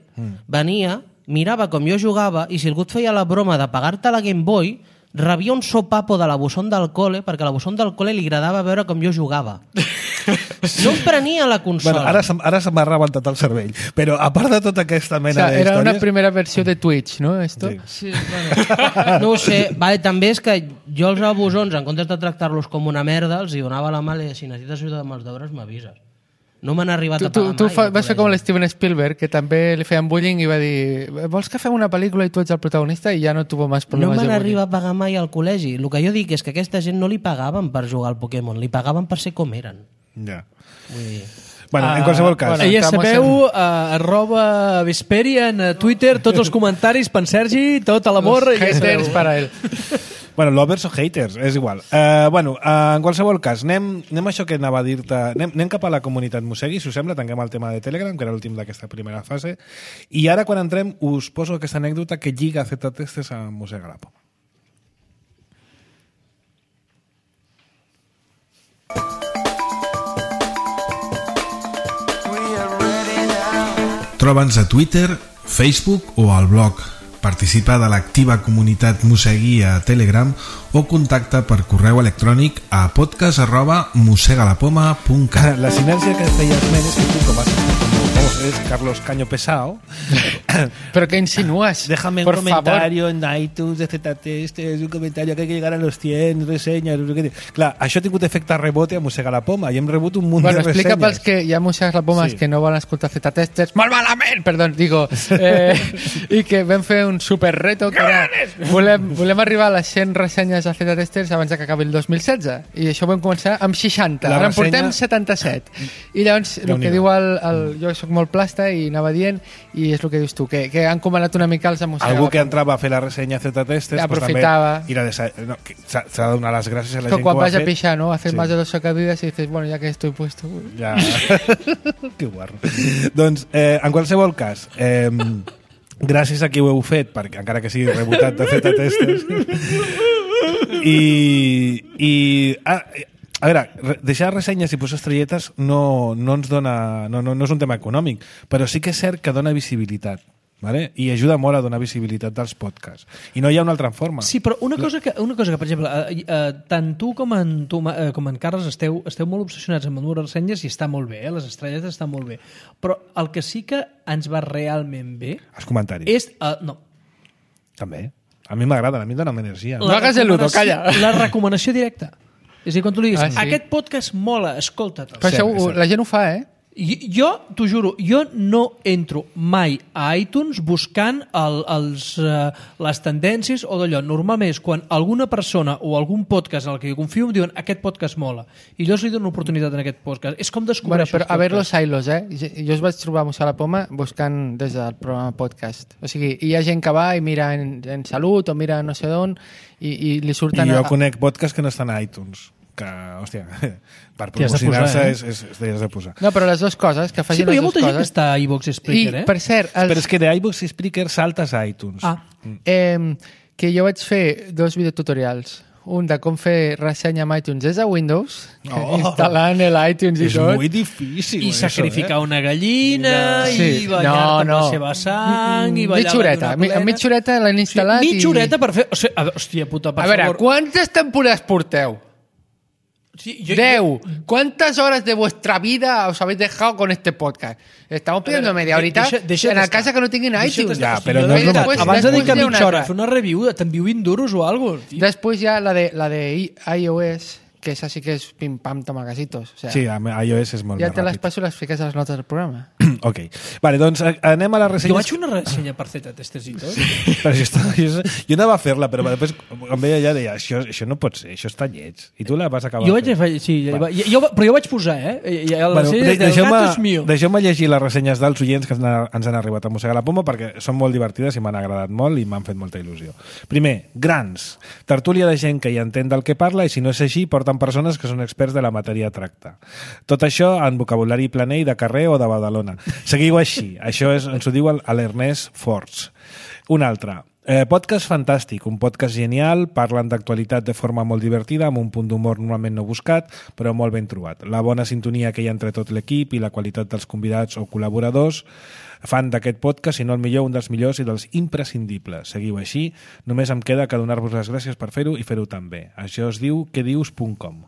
venia, mirava com jo jugava, i si algú et feia la broma de pagar-te la Game Boy, rebia un sopapo de l'abusón del col·le, perquè a l'abusón del col·le li agradava veure com jo jugava. No em prenia la consola. Bueno, ara se m'ha rebentat el cervell. Però a part de tota aquesta mena d'històries... Era una primera versió de Twitch, no? Esto? Sí, bueno, no ho sé. Vale, també és que jo els abusons, en comptes de tractar-los com una merda, els hi donava la mà i si necessites ajuda amb els deures m'avises. No m'han arribat a pagar mai. Tu vas fer com l'Steven Spielberg, que també li feien bullying i va dir vols que fem una pel·lícula i tu ets el protagonista i ja no tuvo més problemes. No m'han arribat a pagar mai al col·legi. El que jo dic és que aquesta gent no li pagaven per jugar al Pokémon, li pagaven per ser com eren. Ja. Vull dir... Bueno, en qualsevol cas. Ja sabeu, @Vesperian a Twitter, tots els comentaris per Sergi, tot l'amor. Haters para él. Bueno, lovers o haters, és igual. Bueno, en qualsevol cas, anem a això que anava a dir-te... Anem cap a la comunitat Mossegui, si us sembla, tanquem el tema de Telegram, que era l'últim d'aquesta primera fase, i ara, quan entrem, us poso aquesta anècdota que lliga Z-Testes a Mossega la Poma. Troba'ns a Twitter, Facebook o al blog. Participa de l'activa comunitat Mossegui a Telegram o contacta per correu electrònic a podcast@mosegalapoma.cat. La sinergia que feia esment és que tu, com és Carlos Caño Pesao. Pero que insinúas. Déjame un comentario en iTunes de Z-Test, es un comentario que hay que llegar a los 100 resenyes. Clar, això ha tingut efecte rebote a Mossega la Poma i hem rebut un munt de ressenyes. Explica pels que hi ha Mossegas la Poma que no volen escoltar Z-Testers, molt malament, perdó, digo, i que vam fer un super reto que era, volem arribar a les 100 ressenyes a Z-Testers abans que acabi el 2016 i això ho vam començar amb 60, ara en portem 77 i llavors el que diu jo soc molt plasta i anava dient i és el que dius tu, que han comanat una mica els Mossega. Algú que entrava a fer la ressenya Z-Testers aprofitava s'ha de donar les gràcies a la gent que ho ha fet. Quan vas a pixar, ¿no? Hacer más de 2 sacadidas y dices, bueno, ya que estoy puesto. Ja. Que guarro. Doncs, en qualsevol cas, gràcies a qui ho heu fet, perquè encara que sigui rebotat de Z-Testers, a veure, deixar ressenyes i posar estrelletes no ens dona... No és un tema econòmic, però sí que és cert que dona visibilitat. Vale? I ajuda molt a donar visibilitat dels podcasts. I no hi ha una altra forma. Sí, però una cosa que per exemple, tant tu com en Carles esteu molt obsessionats amb les ressenyes i està molt bé, les estrelletes estan molt bé. Però el que sí que ens va realment bé... Els comentaris. És... no. També. A mi m'agrada, a mi em dona energia. No hagas el ludo, calla. La recomanació directa. És a dir, quan tu li diguis, sí. Aquest podcast mola, escolta't. Però això la gent ho fa, Jo, t'ho juro, jo no entro mai a iTunes buscant les tendències o d'allò. Normalment és quan alguna persona o algun podcast en el que jo confio em diuen aquest podcast mola i jo li dono una oportunitat en aquest podcast. És com descobreixo però a ver los hilos, jo es vaig trobar a Mossega la Poma buscant des del programa podcast. O sigui, hi ha gent que va i mira en Salut o mira no sé d'on i li surten... I jo conec podcasts que no estan a iTunes. Que, hòstia, per promocionar-se t'hi has de posar. No, però les dues coses, que facin les dues coses... Sí, però hi ha molta gent que està a iVoox i Spreaker, per cert... Però és que d'iVoox i Spreaker saltes a iTunes. Que jo vaig fer 2 videotutorials. Un de com fer ressenya amb iTunes des de Windows, instal·lant l'iTunes i tot. És molt difícil. I sacrificar una gallina, i ballar-te amb la seva sang, i ballar-te d'una plena. Mitja horeta l'han instal·lat i... Mitja horeta per fer... Hòstia puta, per favor. A veure, quantes temporades porteu? Sí, 10. ¿Cuántas horas de vuestra vida os habéis dejado con este podcast? Estamos pidiendo media horita en la casa que no tinguin iTunes. Ja, però no és abans de dir que mitja hora, fer una review, t'envio duros o algo. Després ja la de iOS, que esa sí que és pim-pam, tomacasitos. O sea, sí, iOS és molt més ràpid. Ja te les passo i les fiques a les notes del programa. Ok. Vale, doncs anem a la ressenya. Jo vaig fer una ressenya per Z-Testers i tot. Jo anava a fer-la, però després em veia allà i deia, això no pot ser, això està lleig. I tu la vas acabar fent. Sí, però jo vaig posar, Deixeu-me llegir les ressenyes dels oients que ens han arribat a Mossega la Poma perquè són molt divertides i m'han agradat molt i m'han fet molta il·lusió. Primer, grans. Tertúlia de gent que hi entén del que parla i si no és així, porten persones que són experts de la matèria a tractar. Tot això en vocabulari planell de carrer o de Badalona. Seguiu així. Això ens ho diu l'Ernest Forts. Un altre. Podcast fantàstic, un podcast genial, parlen d'actualitat de forma molt divertida, amb un punt d'humor normalment no buscat, però molt ben trobat. La bona sintonia que hi ha entre tot l'equip i la qualitat dels convidats o col·laboradors fan d'aquest podcast, si no el millor, un dels millors i dels imprescindibles. Seguiu així, només em queda que donar-vos les gràcies per fer-ho i fer-ho tan bé. Això es diu quedius.com.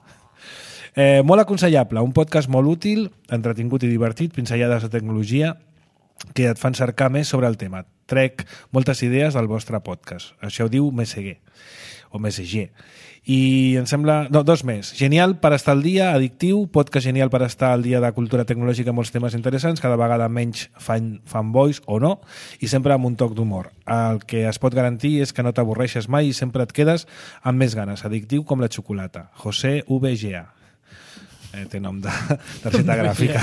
Molt aconsellable, un podcast molt útil, entretingut i divertit, pinzellades de tecnologia que et fan cercar més sobre el tema. Trec moltes idees del vostre podcast. Això ho diu Meseguer, o Meseguer. I em sembla... No, dos més. Genial per estar al dia, addictiu, podcast genial per estar al dia de cultura tecnològica, molts temes interessants, cada vegada menys fanboys o no, i sempre amb un toc d'humor. El que es pot garantir és que no t'avorreixes mai i sempre et quedes amb més ganes. Addictiu com la xocolata. José VGA. Té nom de targeta gràfica.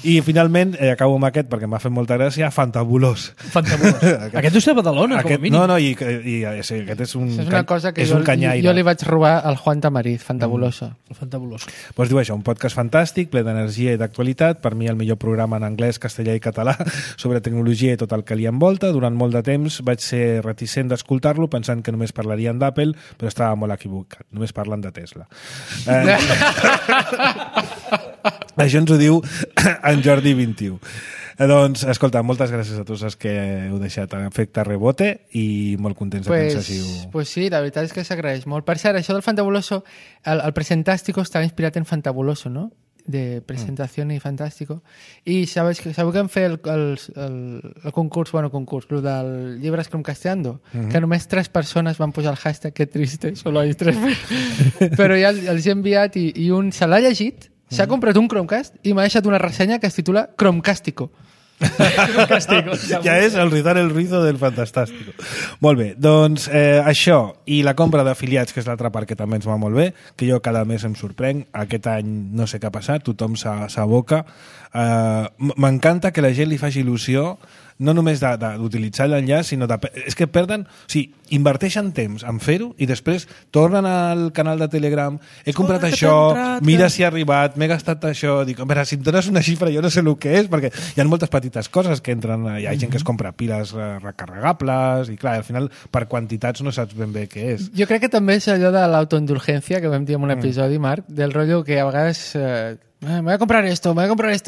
I finalment, acabo amb aquest perquè m'ha fet molta gràcia, Fantabulós. Aquest és de Badalona, com a mínim. No, i sí, aquest és un, és una cosa que és un canyaire. Jo li vaig robar al Juan Tamariz, Fantabuloso. Fantabuloso. Pues diu això, un podcast fantàstic, ple d'energia i d'actualitat, per mi el millor programa en anglès, castellà i català sobre tecnologia i tot el que li envolta. Durant molt de temps vaig ser reticent d'escoltar-lo pensant que només parlarien d'Apple, però estava molt equivocat. Només parlen de Tesla. Això ens ho diu en Jordi 21. Doncs, escolta, moltes gràcies a tots els que heu deixat en efecte rebote i molt contents de que ens hàgiu... Pues sí, la veritat és que s'agraeix molt. Per cert, això del Fantabuloso, el Presentástico estava inspirat en Fantabuloso, no? De presentación y fantástico. I sabeu que hem fet el concurs, el del llibre Chromcasteando, que només 3 persones van posar el hashtag que triste, solo hay 3. Però ja els he enviat i un se l'ha llegit, s'ha comprat un Chromecast i m'ha deixat una ressenya que es titula Chromecástico. Ja és el rizar el rizo del Fantastàstico. Molt bé, doncs això i la compra d'afiliats, que és l'altra part que també ens va molt bé, que jo cada mes em sorprenc. Aquest any no sé què ha passat, tothom s'aboca. M'encanta que la gent li faci il·lusió no només d'utilitzar l'enllaç, sinó és que perden... O sigui, inverteixen temps en fer-ho i després tornen al canal de Telegram, he comprat això, mira si ha arribat, m'he gastat això... Dic, a veure, si em dones una xifra jo no sé el que és, perquè hi ha moltes petites coses que entren... Hi ha gent que es compra piles recarregables i, clar, al final, per quantitats no saps ben bé què és. Jo crec que també és allò de l'autoindulgència, que vam dir en un episodi, Marc, del rotllo que a vegades... me voy a comprar esto,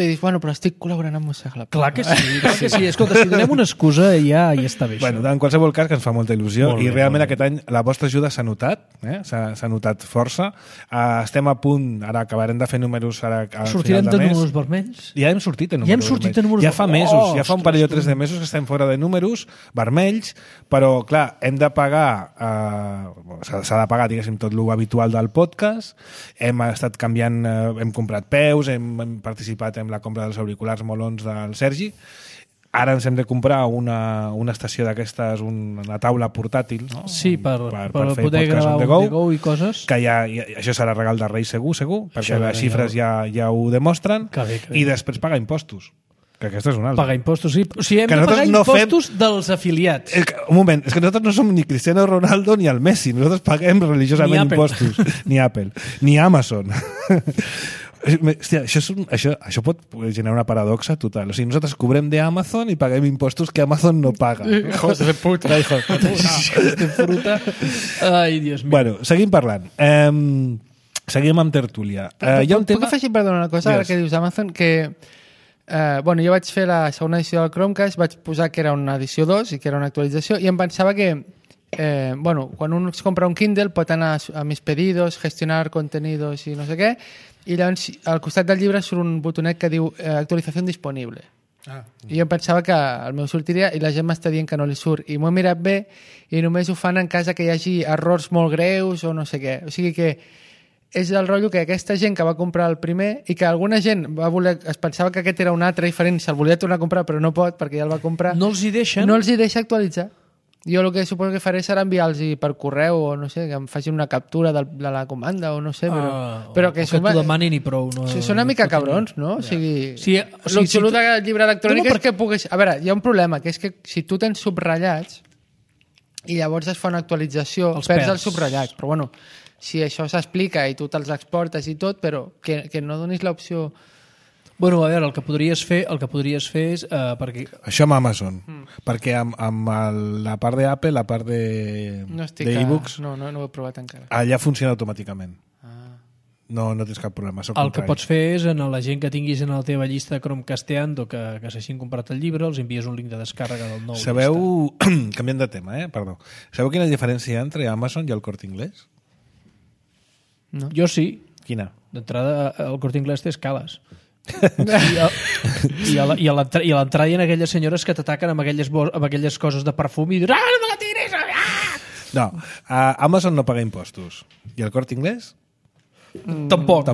y dius, bueno, però estic col·laborant amb Mosegla. Clar que sí. Escolta, si donem una excusa ja està bé. Bueno, en qualsevol cas, que ens fa molta il·lusió i realment aquest any la vostra ajuda s'ha notat, s'ha notat força. Estem a punt, ara acabarem de fer números ara a sortirem final de mes. Números vermells? Ja hem sortit de números vermells. Ja fa mesos, ja fa un parell o 3 de mesos que estem fora de números vermells, però clar, hem de pagar s'ha de pagar, diguéssim, tot l'habitual del podcast, hem estat canviant, hem comprat hem participat en la compra dels auriculars molons del Sergi. Ara ens hem de comprar una estació d'aquestes, una taula portàtil, no? Sí, per poder gravar un The Go i coses. Que això serà regal de Reis segur, perquè les xifres ja ho demostren. I després pagar impostos. Que aquesta és una altra. Pagar impostos, sí. O sigui, hem de pagar impostos dels afiliats. Un moment, és que nosaltres no som ni Cristiano Ronaldo ni el Messi. Nosaltres paguem religiosament impostos. Ni Apple. Ni Amazon. Hòstia, això pot generar una paradoxa total. O sigui, nosaltres cobrem d'Amazon i paguem impostos que Amazon no paga. Hijos de puta. Hijos de puta. Ai, Dios mío. Bueno, seguim parlant. Seguim amb tertúlia. Puc afegir, perdona, una cosa, ara que dius Amazon, que jo vaig fer la segona edició del Chromecast, vaig posar que era una edició 2 i que era una actualització, i em pensava que quan un es compra un Kindle pot anar a mis pedidos, gestionar contenidos i no sé què, i llavors al costat del llibre surt un botonet que diu actualització disponible. I jo pensava que el meu sortiria i la gent m'està dient que no li surt, i m'ho he mirat bé i només ho fan en cas que hi hagi errors molt greus o no sé què. O sigui que és el rotllo que aquesta gent que va comprar el primer i que alguna gent es pensava que aquest era un altre diferent, se'l volia tornar a comprar però no pot perquè ja el va comprar. No els hi deixen? No els hi deixa actualitzar. Jo el que suposo que faré serà enviar-los per correu o no sé, que em facin una captura de la comanda o no sé, però que t'ho demanin i prou. Són una mica cabrons, no? O sigui, el xulo del llibre electrònic és que puguis... A veure, hi ha un problema, que és que si tu tens subratllats i llavors es fa una actualització, perds els subratllats, però bueno, si això s'explica i tu te'ls exportes i tot, però que no donis l'opció... Bueno, a veure, el que podries fer és... perquè... Això amb Amazon. Perquè amb la part d'Apple, la part d'e-books... No ho he provat encara. Allà funciona automàticament. No tens cap problema. El que pots fer és, a la gent que tinguis en la teva llista de Chromcasteando que s'hagin comprat el llibre, els envies un link de descàrrega del nou. Sabeu... Canviant de tema, perdó. Sabeu quina diferència hi ha entre Amazon i el Corte Inglés? No. Jo sí. Quina? D'entrada, el Corte Inglés té escales. I a l'entrada hi ha aquelles senyores que t'ataquen amb aquelles coses de perfum i dius, no me la tiris! No, Amazon no paga impostos. I el Corte Inglés? Tampoc.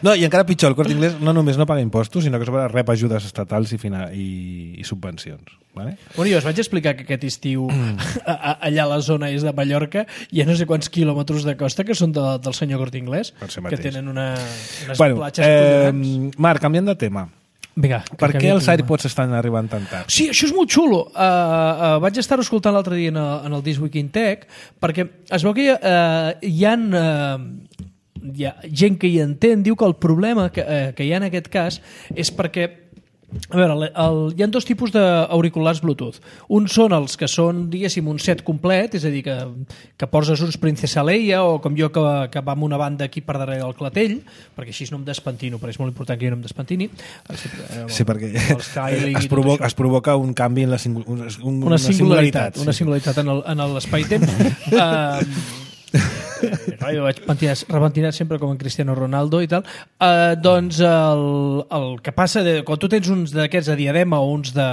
No, i encara pitjor, el Corte Inglés no només no paga impostos, sinó que sobre rep ajudes estatals i subvencions. Vale? Bueno, jo us vaig explicar que aquest estiu allà a la zona és de Mallorca hi ha no sé quants quilòmetres de costa que són del senyor Corte Inglés, que tenen unes platges collonants. Marc, canviant de tema. Vinga, per què els AirPods estan arribant tan tard? Sí, això és molt xulo. Vaig estar escoltant l'altre dia en el This Week in Tech perquè es veu que hi ha gent que hi entén, diu que el problema que hi ha en aquest cas és perquè a veure, hi ha dos tipus d'auriculars Bluetooth. Uns són els que són, diguéssim, un set complet, és a dir, que poses uns Princesa Leia o com jo que va amb una banda aquí per darrere del clatell, perquè així no em despentino, perquè és molt important que jo no em despentini. Sí, perquè es provoca un canvi en una singularitat. Una singularitat en l'espai-temps. Jo vaig repentinar sempre com en Cristiano Ronaldo i tal. Doncs el que passa quan tu tens uns d'aquests a diadema o uns de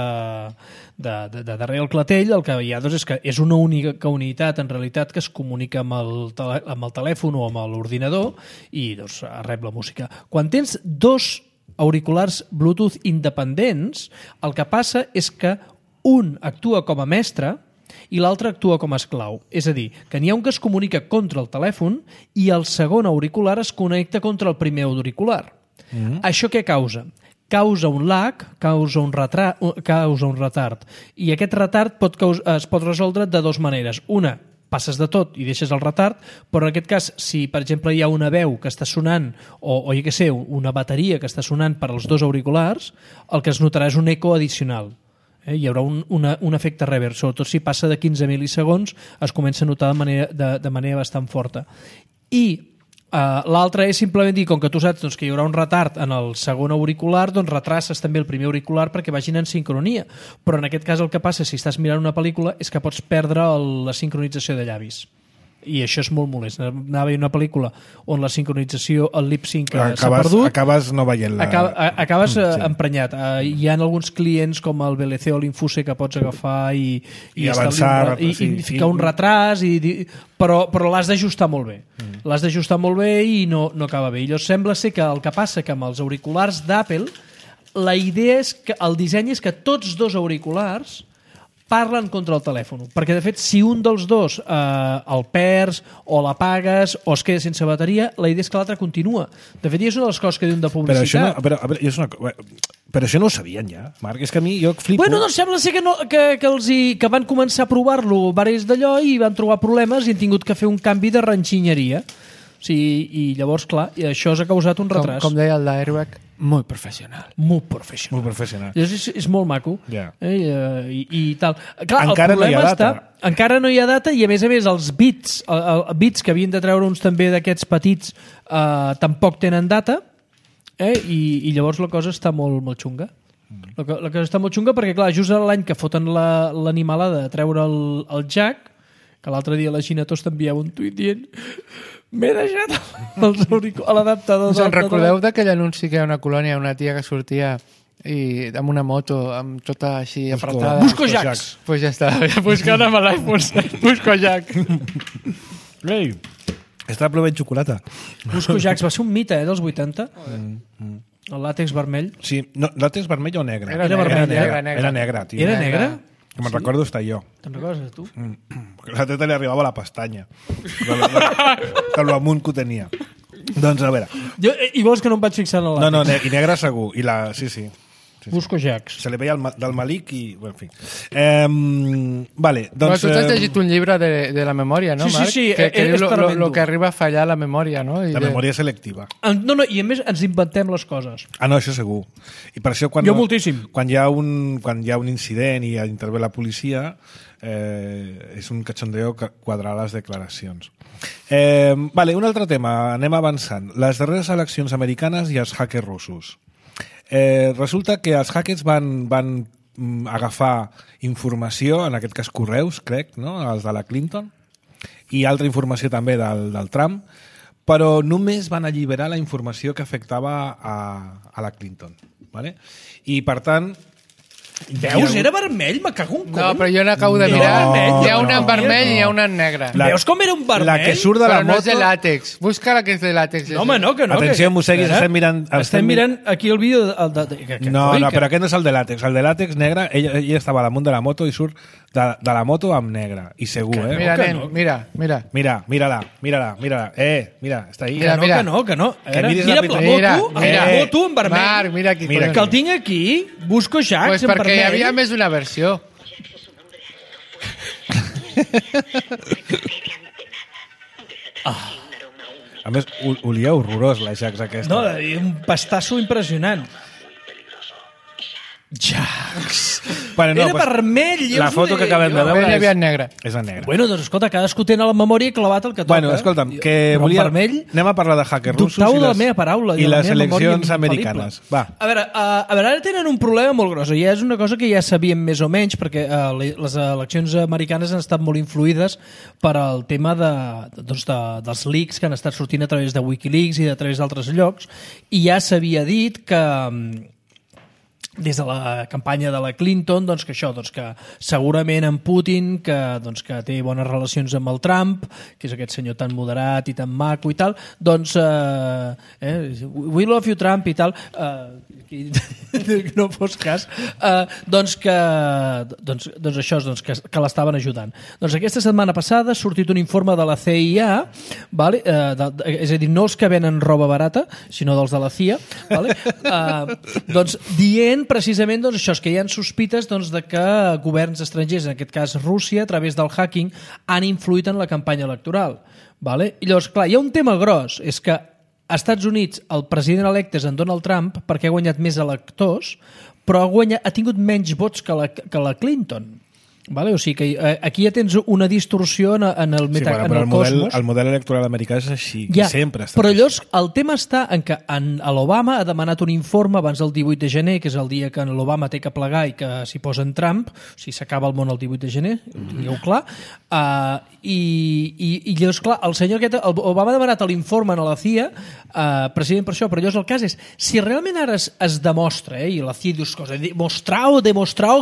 darrere el clatell, el que hi ha és que és una única unitat en realitat que es comunica amb el telèfon o amb l'ordinador i doncs rep la música. Quan tens dos auriculars Bluetooth independents, el que passa és que un actua com a mestre i l'altre actua com a esclau. És a dir, que n'hi ha un que es comunica contra el telèfon i el segon auricular es connecta contra el primer auricular. Això què causa? Causa un lag, causa un retard. I aquest retard es pot resoldre de dues maneres. Una, passes de tot i deixes el retard, però en aquest cas, si per exemple hi ha una veu que està sonant o jo què sé, una bateria que està sonant per als dos auriculars, el que es notarà és un eco addicional. Hi haurà un efecte reverb, sobretot si passa de 15 mil·lisegons es comença a notar de manera bastant forta. I l'altre és simplement dir, com que tu saps que hi haurà un retard en el segon auricular, doncs retraces també el primer auricular perquè vagin en sincronia. Però en aquest cas el que passa si estàs mirant una pel·lícula és que pots perdre la sincronització de llavis. I això és molt molest. Anava a veure una pel·lícula on la sincronització, el lip-sync s'ha perdut. Acabes no veient-la. Acabes emprenyat. Hi ha alguns clients com el VLC o l'Infuse que pots agafar i avançar i ficar un retras, però l'has d'ajustar molt bé. L'has d'ajustar molt bé i no acaba bé. I llavors sembla ser que el que passa que amb els auriculars d'Apple la idea és que el disseny és que tots dos auriculars parlen contra el telèfon, perquè de fet si un dels dos el perds o l'apagues o es queda sense bateria, la idea és que l'altre continua. De fet, és una de les coses que diuen de publicitat. Però això no ho sabien ja, Marc, és que a mi jo flipo. Bueno, doncs sembla ser que van començar a provar-lo diversos d'allò i van trobar problemes i han tingut que fer un canvi de ranxinyeria. I llavors, clar, això ha causat un retras. Com deia el d'Airbag, molt professional. Molt professional. És molt maco. Yeah. I tal. Clar, encara no hi ha data. Encara no hi ha data i a més els bits que havien de treure uns també d'aquests petits tampoc tenen data i llavors la cosa està molt, molt xunga. La cosa està molt xunga perquè, clar, just l'any que foten l'animalada de treure el jack, que l'altre dia la Ginatós t'enviava un tuit dient m'he deixat l'adaptador. Us en recordeu d'aquell anunci que hi ha una colònia, una tia que sortia amb una moto, amb tota així apretada? Busco jacks! Pues ja està, buscant amb l'iPhone. Busco jack. Ei, està plovent xocolata. Busco jacks, va ser un mite dels 80. El làtex vermell. Sí, no, làtex vermell o negre? Era vermell. Era negre, tio. Era negre? Que me'n recordo estar jo. Te'n recordes, tu? Perquè la teta li arribava a la pestanya. Que l'amunt que ho tenia. Doncs, a veure... I vols que no em vaig fixar en el làtex? No, i negre segur. Sí. Busco jacks. Se li veia del Malik i... Bueno, en fi. Vale, doncs... Tu t'has llegit un llibre de la memòria, no, Marc? Sí. Que diu lo que arriba a fallar la memòria, no? La memòria selectiva. No, i a més ens inventem les coses. No, això segur. I per això jo moltíssim. Quan hi ha un incident i intervé la policia, és un cachondeo quadrar les declaracions. Vale, un altre tema. Anem avançant. Les darreres eleccions americanes i els hackers russos. Resulta que els hackers van agafar informació, en aquest cas correus, crec, no? Els de la Clinton, i altra informació també del Trump, però només van alliberar la informació que afectava a la Clinton. ¿Vale? I, per tant... Veus? Era vermell? Me cago en No, però jo n'acabo de mirar. Hi ha una en vermell i hi ha una en negre. Veus com era un vermell? La que surt de la Però no moto... és de làtex. Busca la que és de làtex. No, home, no, que no. Atenció, Museguis, estem mirant... Estem mirant aquí el vídeo... No, però aquest no és el de làtex. El de làtex negre, ella estava damunt de la moto i surt de la moto amb negre. I segur, Mira, nen, mira. Mira-la. Mira, està ahí. Mira. Que no. A veure, miris mira la la moto en vermell. Marc, mira aquí. Que el tinc aquí, busco Jax Pues en perquè vermell. hi havia més d'una versió. A més, olia horrorós la Jax aquesta. No, un pastasso impressionant. Jax. Bueno, no, Era vermell. La foto que acabem de veure Hi havia en negre. és en negre. Bueno, doncs escolta, cadascú té a la memòria clavat el que toca. Bueno, escolta'm, que Però volia... en vermell... Anem a parlar de hackers russos Dubtau de la meva paraula. i de la les meva memòria eleccions americanes. Va. A veure, ara tenen un problema molt gros. Ja és una cosa que ja sabíem més o menys, perquè les eleccions americanes han estat molt influïdes per al tema dels leaks que han estat sortint a través de Wikileaks i a través d'altres llocs, i ja s'havia dit que des de la campanya de la Clinton, doncs que això, doncs que segurament en Putin, que té bones relacions amb el Trump, que és aquest senyor tan moderat i tan maco i tal, doncs we love you Trump i tal, que no fos cas, doncs això, doncs que l'estaven ajudant. Doncs aquesta setmana passada ha sortit un informe de la CIA, vale? És a dir, no els que venen roba barata, sinó dels de la CIA, vale? Doncs dient precisament doncs, això, que hi ha sospites doncs, de que governs estrangers, en aquest cas Rússia, a través del hacking, han influït en la campanya electoral. Vale? I llavors, clar, hi ha un tema gros, és que als Estats Units el president electe és en Donald Trump perquè ha guanyat més electors, però ha tingut menys vots que la Clinton. Vale? O sigui que aquí ja tens una distorsió en el cosmos. El model electoral americà és així, ja, sempre està però així. llavors el tema està en que l'Obama ha demanat un informe abans del 18 de gener, que és el dia que l'Obama té que plegar i que s'hi posa en Trump, o sigui, s'acaba el món el 18 de gener, ho tingueu clar, i llavors, clar, el senyor aquest, Obama ha demanat l'informe a la CIA, precisament per això, però llavors el cas és, si realment ara es demostra, i la CIA dius coses, demostrao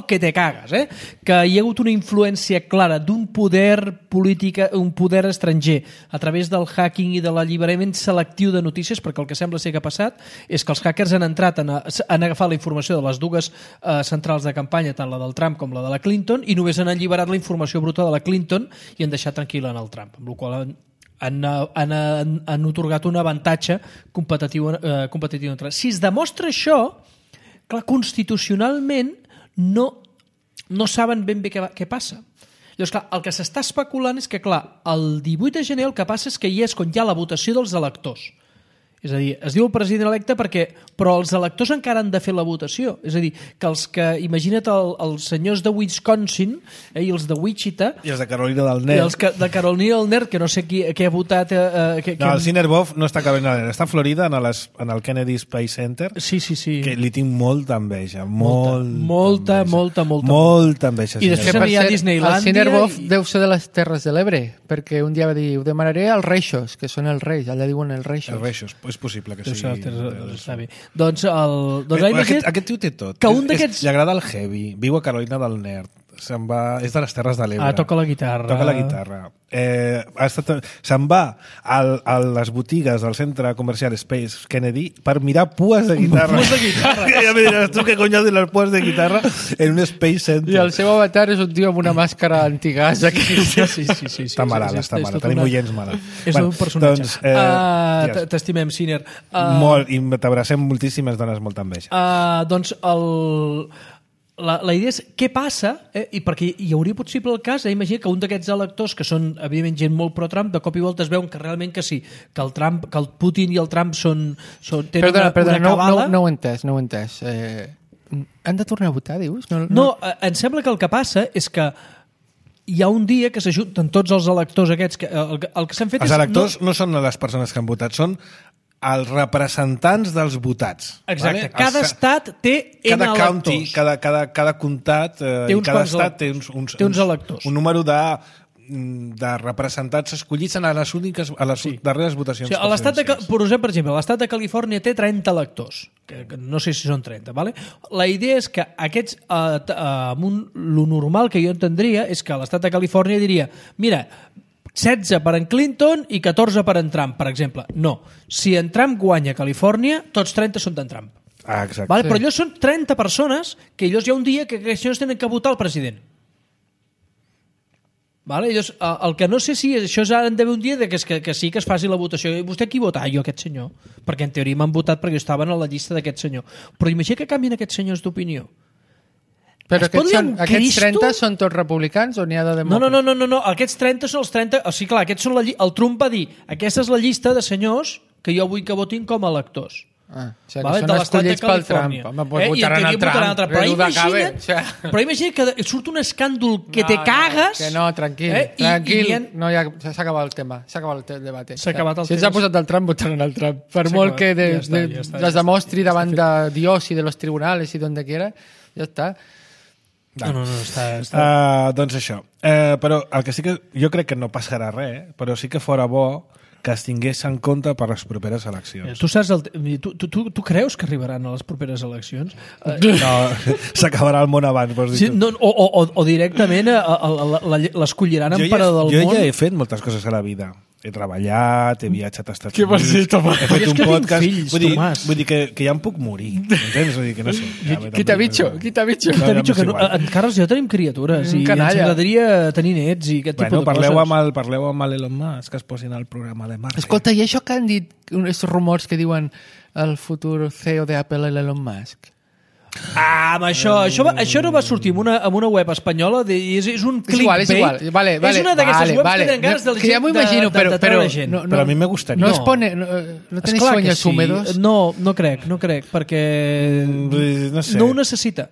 que te cagas, que hi ha hagut una influència clara d'un poder polític, un poder estranger a través del hacking i de l'alliberament selectiu de notícies, perquè el que sembla ser que ha passat és que els hackers han entrat, han agafat la informació de les dues centrals de campanya, tant la del Trump com la de la Clinton, i només han alliberat la informació bruta de la Clinton i han deixat tranquil·la en el Trump, amb la qual han otorgat un avantatge competitiu. Si es demostra això, clar, constitucionalment no saben ben bé què passa. Llavors, clar, el que s'està especulant és que, clar, el 18 de gener el que passa és que hi és quan hi ha la votació dels electors. És a dir, es diu el president electe però els electors encara han de fer la votació. És a dir, que imagina't els senyors de Wisconsin i els de Wichita... I els de Carolina del Nord. I els de Carolina del Nord, que no sé qui ha votat... No, el Sinnerbov no està a Carolina del Nord, està a Florida, en el Kennedy Space Center. Sí. Que li tinc molta enveja. Molta enveja. I després hi ha Disneylandia. El Sinnerbov deu ser de les Terres de l'Ebre, perquè un dia va dir, ho demanaré als reixos, que són els reis, allà diuen els reixos. Els reixos. És possible que sigui... Està bé. Doncs aquest tio té tot. Que un d'aquests... Li agrada el heavy, viu a Carolina del Nord, és de les Terres de l'Ebre. Toca la guitarra. Se'n va a les botigues del centre comercial Space Kennedy per mirar pues de guitarra. Pues de guitarra. Ja me diràs tu què cony has de les pues de guitarra en un Space Center. I el seu avatar és un tio amb una màscara antigàs. Sí. Està malalt. Tenim oients malalt. És un personatge. T'estimem, Sinner. Molt, i t'abracem moltíssimes dones, molta enveja. Doncs la idea és què passa, i perquè hi hauria possible el cas, imagina que un d'aquests electors, que són evidentment gent molt pro-Trump, de cop i volta es veuen que realment que sí, que el Putin i el Trump tenen una cabala... No ho he entès. Han de tornar a votar, dius? No, em sembla que el que passa és que hi ha un dia que s'ajunten tots els electors aquests, el que s'han fet els electors no són les persones que han votat, són els representants dels votats. Exacte. Vale? Cada estat té cada county, cada comtat i cada estat té uns electors. Un número de de representats escollits a les úniques, a les darreres votacions presidencials. Per exemple, l'estat de Califòrnia té 30 electors, que no sé si són 30, ¿vale? La idea és que aquests, lo normal que jo entendria és que l'estat de Califòrnia diria, mira, 16 per en Clinton i 14 per en Trump, per exemple. No, si en Trump guanya a Califòrnia, tots 30 són d'en Trump. Exacte. Vale? Però allò són 30 persones que ells hi ha un dia que aquests senyors tenen que votar el president. Vale? Llavors, el que no sé si això han d'haver un dia que sí que es faci la votació. I vostè qui vota? Jo, aquest senyor. Perquè en teoria m'han votat perquè estaven a la llista d'aquest senyor. Però imagina que canvien aquests senyors d'opinió. Però aquests 30 són tots republicans o n'hi ha de demòcrates? No. Aquests 30 són els 30... O sigui, clar, aquests són el Trump va dir aquesta és la llista de senyors que jo vull que votin com a electors. O sigui, vale? Són escollits pel Trump. Home, votaran el Trump. Però imagina't que surt un escàndol que te cagues... Que no, tranquil. No, ja s'ha acabat el tema. S'ha acabat el debat. Si ens ha posat el Trump, votaran el Trump. Per molt que les demostri davant de Dios i de los tribunales i donde quiera, ja està. No, està... Doncs això. Però el que sí que... Jo crec que no passarà res, però sí que fora bo que es tingués en compte per les properes eleccions. Tu saps tu creus que arribaran a les properes eleccions? No, s'acabarà el món abans, vols dir. Sí, no, o directament l'escolliran emperador del món. Jo ja he fet moltes coses a la vida. He treballat, he viatjat a Estats Units... Què vols dir, Tomàs? He fet un podcast... Fills, vull dir que ja em puc morir. Entens? Vull dir que no sé. Qui t'ha dicho? Qui t'ha dicho que encara jo tenim criatures i ens agradaria tenir nets i aquest tipus de coses. Parleu amb Elon Musk, que es posin al programa de Marte. Escolta, i això que han dit, aquests rumors que diuen el futur CEO d'Apple, Elon Musk... amb això no va sortir en una web espanyola és un clickbait. És igual. Vale, és una d'aquestes webs que tenen ganes que ja m'ho imagino, però a mi me gustaría. No tenéis sueños húmedos? No crec, perquè no sé. No ho necessita.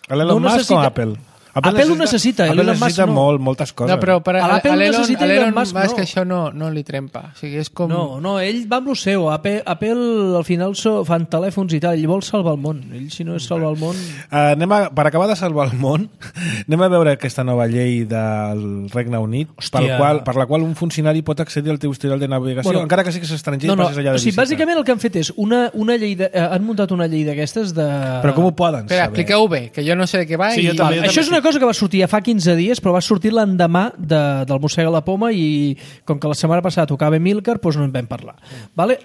Elon Musk o Apple? Apple ho necessita. Apple necessita moltes coses. No, però per a Elon Musk això no li trempa. O sigui, és com... No, ell va amb lo seu. Apple al final fan telèfons i tal. Ell vol salvar el món. Ell, si no és salvar el món... Per acabar de salvar el món, anem a veure aquesta nova llei del Regne Unit, per la qual un funcionari pot accedir al teu historial de navegació, encara que sí que és estranger i passis allà de visita. Bàsicament el que han fet és una llei... Han muntat una llei d'aquestes de... Però com ho poden saber? Expliqueu bé, que jo no sé de què va. Això és una cosa que va sortir ja fa 15 dies, però va sortir l'endemà del Mossega la Poma i com que la setmana passada tocava Milcar, doncs no en vam parlar. Vale?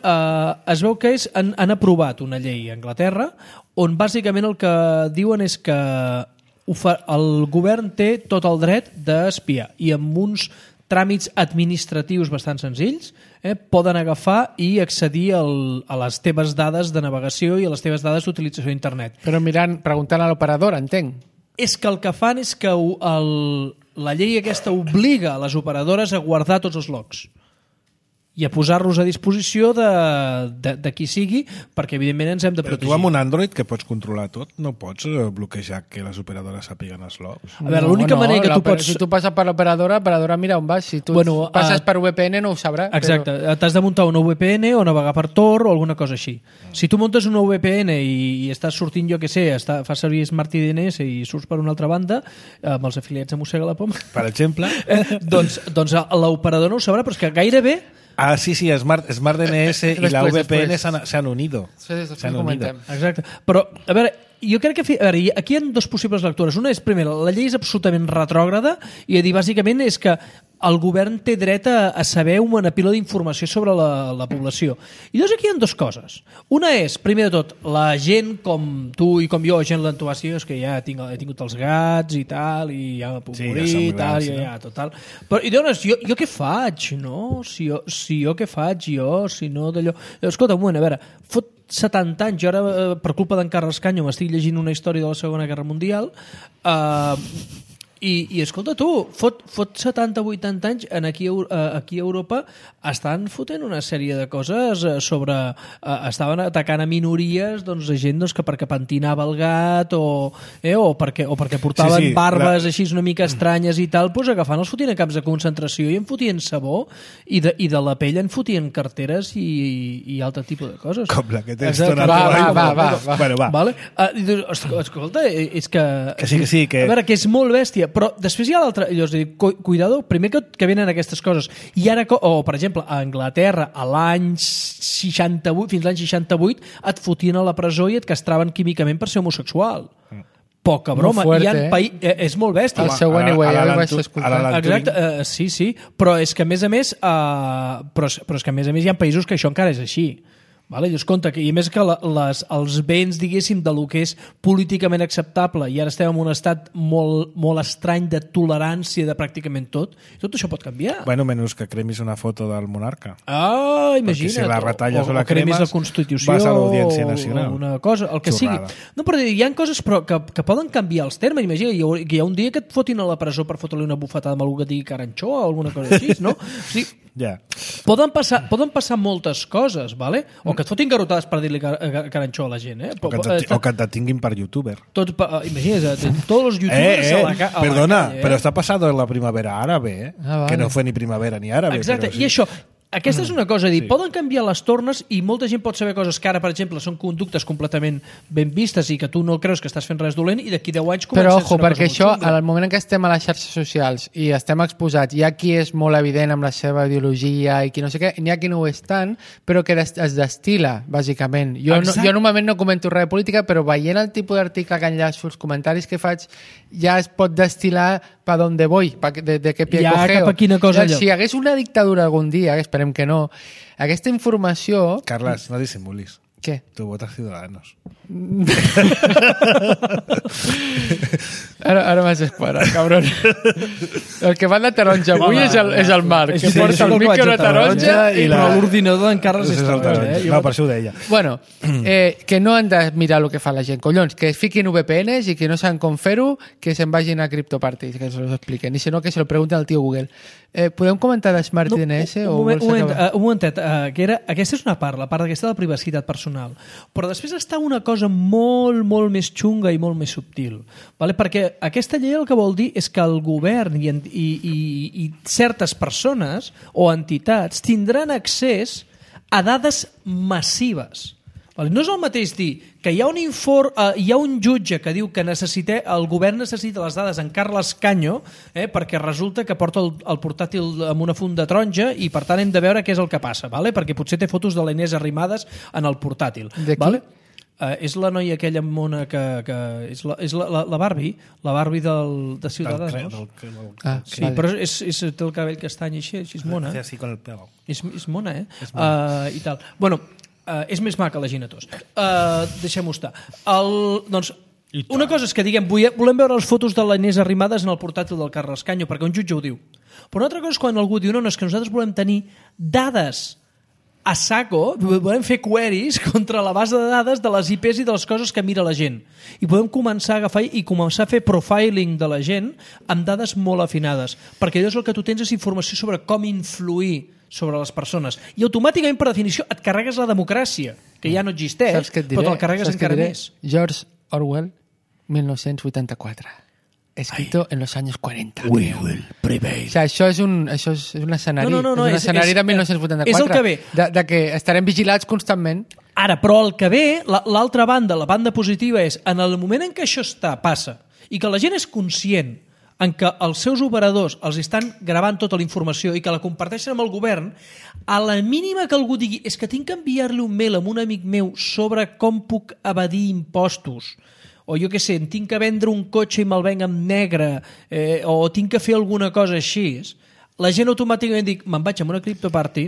Es veu que han aprovat una llei a Anglaterra on bàsicament el que diuen és que el govern té tot el dret d'espiar i amb uns tràmits administratius bastant senzills poden agafar i accedir a les teves dades de navegació i a les teves dades d'utilització d'internet. Però preguntant a l'operador, entenc. És que el que fan és que la llei aquesta obliga a les operadores a guardar tots els logs i a posar-los a disposició de qui sigui, perquè evidentment ens hem de protegir. Tu amb un Android que pots controlar tot, no pots bloquejar que les operadores sàpiguen els logs? A veure, l'única manera que tu pots... Si tu passes per l'operadora mira on vas. Si tu passes per VPN no ho sabrà. Exacte, t'has de muntar una VPN o navegar per Tor o alguna cosa així. Si tu muntes una VPN i estàs sortint, jo què sé, fas servir Smart DNS i surts per una altra banda, amb els afiliats de Mossega la Poma... Per exemple... doncs l'operador no ho sabrà, però és que gairebé... Sí, Smart DNS i la VPN se han unido. Sí, s'han unido. Exacte. Però, a veure, jo crec que aquí hi ha dos possibles lectures. Una és, primera, la llei és absolutament retrògrada i a dir, bàsicament, és que el govern té dret a saber una pila d'informació sobre la població. I llavors aquí hi ha dues coses. Una és, primer de tot, la gent com tu i com jo, gent l'entubació, és que ja he tingut els gats i tal, i ja me puc morir i tal, total. Però, i llavors, jo què faig, no? Si jo què faig, si no d'allò... Escolta, un moment, a veure, fot 70 anys, jo ara, per culpa d'en Carles Canyo, m'estic llegint una història de la Segona Guerra Mundial, i escolta tu, fot 70-80 anys aquí a Europa estan fotent una sèrie de coses sobre... estaven atacant a minories de gent que perquè pentinava el gat o perquè portaven barbes així una mica estranyes i tal, agafant els fotien a camps de concentració i en fotien sabó i de la pell en fotien carteres i altre tipus de coses. Com la que tens donat. Va. Vale? Escolta, és que... Que sí. A veure, que és molt bèstia, però després hi ha l'altre, llavors dic, cuidado, primer que venen aquestes coses, i ara, per exemple, a Anglaterra, a l'any 68, fins l'any 68, et fotien a la presó i et castraven químicament per ser homosexual. Poca broma. És molt bèstia. El seu Anyway, ara vaig escoltar. Exacte, sí, però és que a més a més hi ha països que això encara és així. Vale? Llavors, compte, i a més que els béns, diguéssim, de lo que és políticament acceptable, i ara estem en un estat molt, molt estrany de tolerància de pràcticament tot això pot canviar. Bueno, menys que cremis una foto del monarca. Imagina't. Perquè si la retalles o la cremis cremes, la Constitució, vas a l'Audiència Nacional. O una cosa, el que Xorrada. sigui. No, però hi ha coses que poden canviar els termes. Imagina, hi ha un dia que et fotin a la presó per fotre-li una bufetada amb algú que digui caranxó o alguna cosa així, no? O sigui, poden passar moltes coses, vale? O que et fotin garrotades per dir-li caranxó a la gent, o que et detinguin per youtuber. Imagina't, tots els youtubers a la calle. Perdona, però està passant la primavera àrabe, que no fue ni primavera ni àrabe. Exacte, i això, aquesta és una cosa, dir, poden canviar les tornes i molta gent pot saber coses que ara, per exemple, són conductes completament ben vistes i que tu no creus que estàs fent res dolent i d'aquí 10 anys comença a ser una cosa molt xunga. Però, ojo, perquè això, al moment en què estem a les xarxes socials i estem exposats, hi ha qui és molt evident amb la seva ideologia i qui no sé què, n'hi ha qui no ho és tant, però que es destila, bàsicament. Jo normalment no comento res de política, però veient el tipus d'article que enllaço, els comentaris que faig, ja es pot destilar pa donde voy, de qué pie cogeo. Cap a quina cosa si hi hagués una dictadura algun dia, esperem que no, aquesta informació... Carles, no dissimulis. Què? Tu votes Ciudadanos. Ara m'has esquadrat, cabron. El que va de taronja avui és el Marc, que porta el micro de taronja però l'ordinador d'en Carles és taronja. No, per això ho deia. Bueno, que no han de mirar el que fa la gent. Collons, que es fiquin VPNs i que no saben com fer-ho, que se'n vagin a CryptoParty, que se los expliquen. I si no, que se lo pregunten al tio Google. Podem comentar de Smart DNS? Un momentet, aquesta és una part, la part aquesta de la privacitat personal. Però després està una cosa molt, molt més xunga i molt més subtil. Vale? Perquè aquesta llei el que vol dir és que el govern i certes persones o entitats tindran accés a dades massives. No és el mateix dir que hi ha un jutge que diu que el govern necessita les dades en Carles Canyo perquè resulta que porta el portàtil amb una funda taronja i per tant hem de veure què és el que passa, perquè potser té fotos de l'Inés Arrimadas en el portàtil. De qui? És la noia aquella mona que és la Barbie, de Ciudadanos. Sí, però té el cabell castany així és mona. És mona, i tal. Bueno, és més maca la Gina Tos. Deixem-ho estar. Doncs, una cosa és que diguem volem veure les fotos de l'Inés Arrimadas en el portàtil del Carles Canyo, perquè un jutge ho diu. Però una altra cosa és quan algú diu no, és que nosaltres volem tenir dades a saco, volem fer queries contra la base de dades de les IPs i de les coses que mira la gent. I podem començar a agafar i començar a fer profiling de la gent amb dades molt afinades, perquè llavors el que tu tens és informació sobre com influir sobre les persones. I automàticament, per definició, et carregues la democràcia, que ja no existeix, però te'l carregues encara més. George Orwell, 1984. Escrito en los años 40. We will prevail. O sea, això és un escenari. No, és un escenari de 1984. És el que ve. De que estarem vigilats constantment. Ara, però el que ve, l'altra banda, la banda positiva és, en el moment en què això passa, i que la gent és conscient en què els seus operadors els estan gravant tota la informació i que la comparteixen amb el govern, a la mínima que algú digui és que tinc que enviar-li un mail a un amic meu sobre com puc evadir impostos, o jo què sé, tinc que vendre un cotxe i me'l venc en negre, o tinc que fer alguna cosa així, la gent automàticament dic, me'n vaig a una CryptoParty,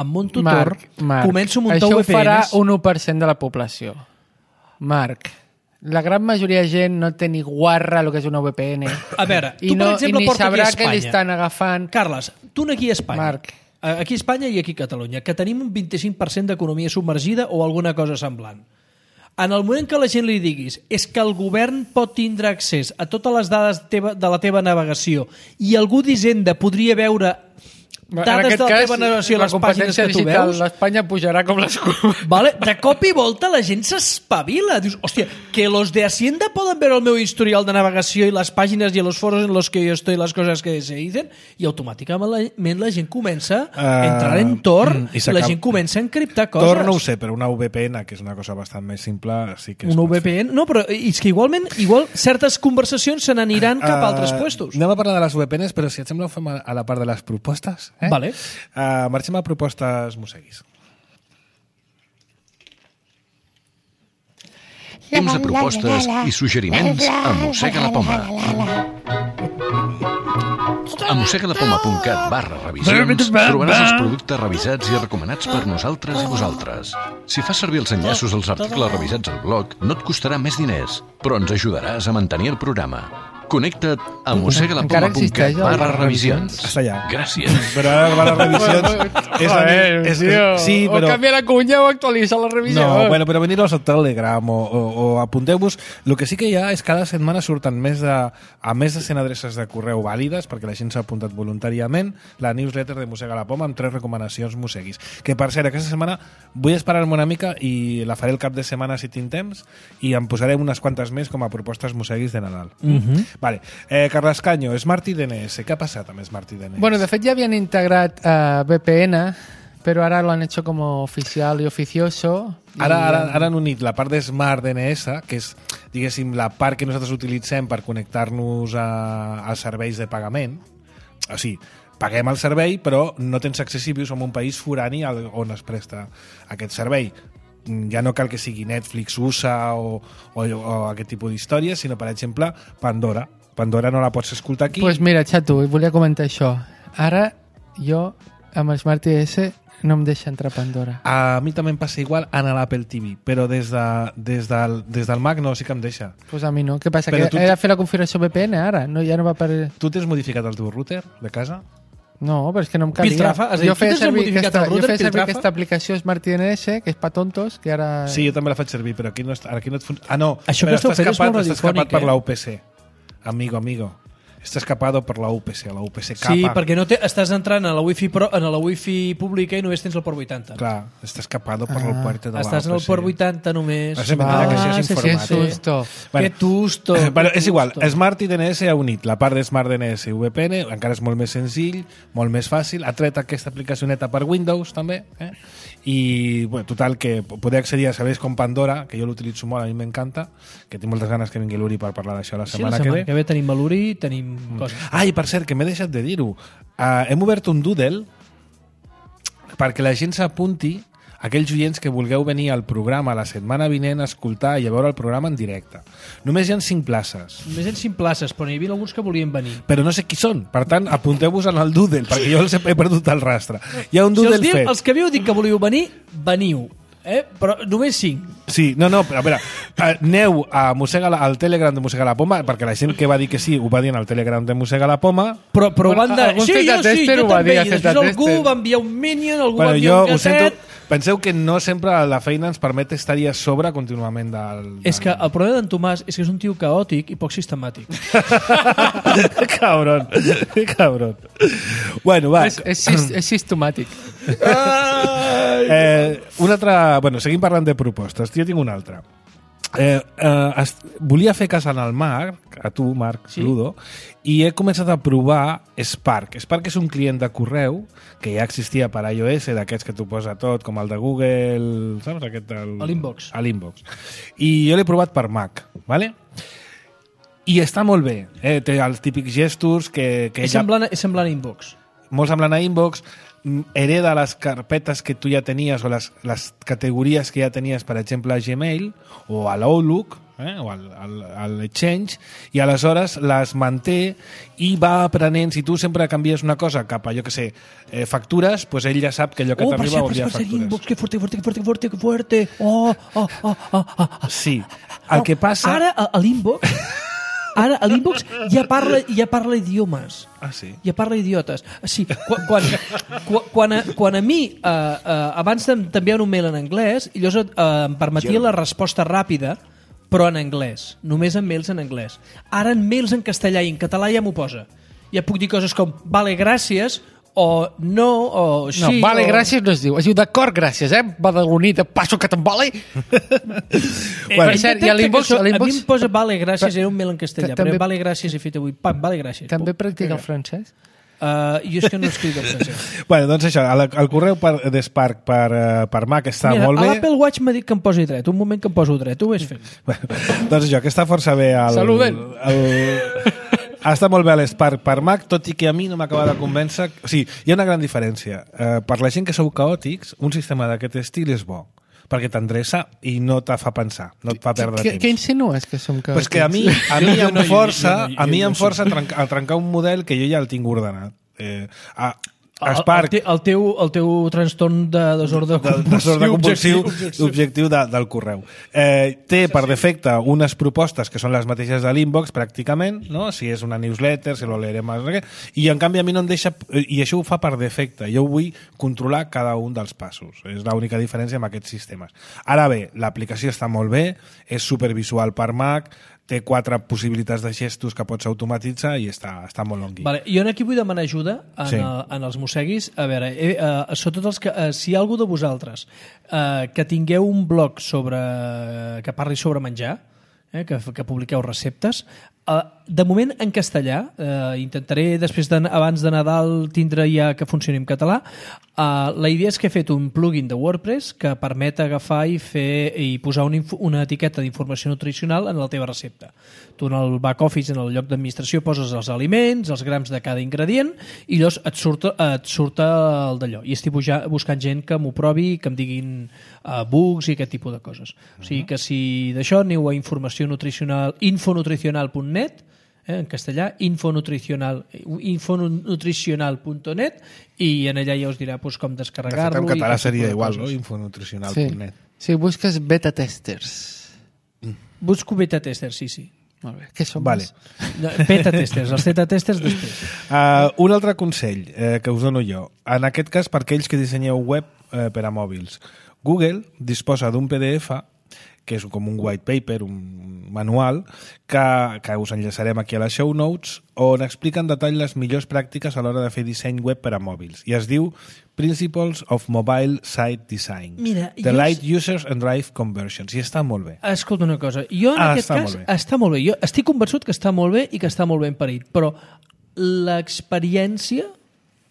em munto Tor, començo a muntar VPNs... Això ho farà un 1% de la població. Marc, la gran majoria de gent no té ni guarra el que és una VPN. A veure, tu, per exemple, ni porta sabrà aquí a Espanya. Que li estan agafant... Carles, tu aquí a Espanya. Marc. Aquí a Espanya i aquí a Catalunya, que tenim un 25% d'economia submergida o alguna cosa semblant. En el moment que la gent li diguis és que el govern pot tindre accés a totes les dades de la teva navegació i algú d'Hisenda podria veure dades de la teva navegació a les pàgines que tu veus... l'Espanya pujarà com l'escuma. Vale? De cop i volta la gent s'espavila. Dius, hòstia, que los de Hacienda poden veure el meu historial de navegació i les pàgines i els foros en los que yo estoy, les coses que se dicen, i automàticament la gent comença a entrar en Tor i la gent comença a encriptar coses. Tor no ho sé, però una VPN, que és una cosa bastant més simple, sí que una VPN? No, però és que igual certes conversacions se n'aniran cap a altres puestos. Anem a parlar de les VPNs, però si et sembla ho fem a la part de les propostes. Vale. Marxem a propostes Museguis. Temps de propostes i suggeriments a Mossega la Poma. A mossegalapoma.cat/revisions trobaràs els productes revisats i recomanats per nosaltres i vosaltres. Si fas servir els enllaços als articles revisats al blog, no et costarà més diners, però ens ajudaràs a mantenir el programa. Connecta't a mossegalapoma.cat/revisions. Està allà. Gràcies. Però ara revisions... Sí, però... O canvia la cunya o actualitza la revisió. No, bueno, però venir-vos al Telegram o apunteu-vos. El que sí que hi ha és que cada setmana surten més de 100 adreces de correu vàlides, perquè la gent s'ha apuntat voluntàriament, la newsletter de Mossega la Poma amb 3 recomanacions musseguis. Que, per cert, aquesta setmana vull esperar-me una mica i la faré el cap de setmana si tinc temps i em posaré unes quantes més com a propostes musseguis de Nadal. Vale. Carles Caño, Smart DNS. ¿Qué ha pasado amb Smart DNS? Bueno, de fet ja havien integrat VPN, però ara lo han hecho como oficial y oficioso. Ara han unit la part de Smart DNS, que és, diguéssim, la part que nosaltres utilitzem per connectar-nos als serveis de pagament. O sigui, paguem el servei, però no tens accés si vius en un país forani on es presta aquest servei. Ja no cal que sigui Netflix, USA o aquest tipus d'històries, sinó, per exemple, Pandora. Pandora no la pots escoltar aquí. Doncs pues mira, xato, volia comentar això. Ara, jo, amb el Smart DNS, no em deixa entrar Pandora. A mi també em passa igual en l'Apple TV, però des del Mac no, sí que em deixa. Doncs pues a mi no. Què passa? Però que he de fer la configuració VPN ara? No, ja no va per... Tu t'has modificat el teu router de casa? No, però és que no em calia. Piltrafa? Jo feia servir aquesta aplicació Smart DNS, que és pa tontos, que ara... Sí, jo també la faig servir, però aquí no et funciona. Ah, no, això que esteu fent és molt radiofònic, escapat per la UPC. Amigo. Està escapado per la UPC, la UPC capa. Sí, perquè no estàs entrant a la wifi pública i només tens el port 80. Clar, està escapado per el puerto de la UPC. Estàs en el port 80 només. Que això és informàtic. Que tusto. Bueno, és igual, Smart DNS ha unit la part de Smart DNS i VPN, encara és molt més senzill, molt més fàcil, ha tret aquesta aplicacioneta per Windows també, i bueno, total, que poder accedir a serveis com Pandora, que jo l'utilitzo molt, a mi m'encanta, que tinc moltes ganes que vingui l'Uri per parlar d'això la setmana que ve. Sí, la setmana que ve tenim l'Uri, tenim coses. Ah, i per cert, que m'he deixat de dir-ho. Hem obert un Doodle perquè la gent s'apunti, aquells oients que vulgueu venir al programa la setmana vinent a escoltar i a veure el programa en directe. Només hi ha 5 places. Només hi ha 5 places, però n'hi havia alguns que volien venir. Però no sé qui són. Per tant, apunteu-vos en el Doodle, perquè jo els he perdut el rastre. Hi ha un Doodle fet. Els que havíeu dit que volíeu venir, veniu. Però només 5. Sí, no, però a veure, aneu al Telegram de Mossega la Poma, perquè la gent que va dir que sí ho va dir en el Telegram de Mossega la Poma, però van de... Sí, jo també, i després algú va enviar un minion, algú va enviar un casset... Penseu que no sempre la feina ens permet estar-hi a sobre contínuament del... És que el problema d'en Tomàs és que és un tio caòtic i poc sistemàtic. Cabron. Bueno, va. És sistemàtic. Una altra... Bueno, seguim parlant de propostes. Jo tinc una altra. Volia fer cas al Marc, a tu, Marc, sí? Ludo, i he començat a provar Spark. Spark és un client de correu que ja existia per iOS, d'aquests que t'ho posa tot, com el de Google, saps? L'Inbox. I jo l'he provat per Mac, ¿vale? I està molt bé. Té els típics gestos que és semblant a Inbox. Molt semblant a Inbox, hereda les carpetes que tu ja tenies o les categories que ja tenies, per exemple, a Gmail o a l'Outlook, o al Exchange, i aleshores les manté i va aprenent. Si tu sempre canvies una cosa cap a, jo que sé, factures, pues ell ja sap que allò que t'arriba vol dir factures. Inbox, que fuerte. Sí. El que passa... Ara, a l'Inbox... Ara, a l'Inbox ja parla idiomes. Ah, sí? Ja parla idiotes. Sí, quan a mi abans t'enviar un mail en anglès, llavors em permetia la resposta ràpida, però en anglès. Només en mails en anglès. Ara en mails en castellà i en català ja m'ho posa. Ja puc dir coses com, vale, gràcies, o no, o sí... No, vale, gràcies no es diu. Es diu d'acord, gràcies, badaloní, de passo que te'n vale. Per cert, i a l'inbox... A mi em posa vale, gràcies, era un mail en castellà, però vale, gràcies, he fet avui, pam, vale, gràcies. També practica el francès? Jo és que no escric el francès. Bueno, doncs això, el correu d'Spark per Mac està molt bé. Mira, l'Apple Watch m'ha dit que em posi dret. Un moment que em poso dret, ho ves fent. Doncs això, que està força bé Saluden! Està molt bé l'Spark per Mac, tot i que a mi no m'acaba de convèncer. O sigui, hi ha una gran diferència. Per la gent que sou caòtics, un sistema d'aquest estil és bo, perquè t'endreça i no te fa pensar, no et fa perdre temps. Què insinues que som caòtics? Pues que a mi em força a trencar un model que jo ja el tinc ordenat. El teu trastorn de desordre compulsiu objectiu del correu. Té per defecte unes propostes que són les mateixes de l'inbox pràcticament, no? Si és una newsletter, si lo leeré més, i en canvi a mi no em deixa, i això ho fa per defecte. Jo vull controlar cada un dels passos. És l'única diferència amb aquests sistemes. Ara bé, l'aplicació està molt bé, és supervisual per Mac, té 4 possibilitats de gestos que pots automatitzar i està molt longui. Vale, jo aquí vull demanar ajuda en els mosseguis. A veure, sobretot els que, si hi ha algú de vosaltres que tingueu un blog que parli sobre menjar, que publiqueu receptes, de moment en castellà, intentaré després abans de Nadal tindre ja que funcioni en català. La idea és que he fet un plugin de WordPress que permet agafar i posar una etiqueta d'informació nutricional en la teva recepta. Tu en el back office, en el lloc d'administració, poses els aliments, els grams de cada ingredient i llavors et surt el d'allò. I estic buscant gent que m'ho provi i que em diguin bugs i aquest tipus de coses. O sigui que si d'això aneu a informació nutricional, infonutricional.net, en castellà, infonutricional.net, i en allà ja us dirà com descarregar-lo. En català seria igual, no? Infonutricional.net. Sí, busques beta testers. Busco beta testers, sí. Molt bé. Què som? Vale. Beta testers, els beta testers després. Un altre consell que us dono jo, en aquest cas per aquells que dissenyeu web per a mòbils. Google disposa d'un PDF que és com un white paper, un manual, que us enllaçarem aquí a les show notes, on explica en detall les millors pràctiques a l'hora de fer disseny web per a mòbils. I es diu Principles of Mobile Site Design. Mira, Light Users and Drive Conversions. I està molt bé. Escolta una cosa, jo en aquest cas està molt bé. Jo estic convençut que està molt bé i que està molt ben parit, però l'experiència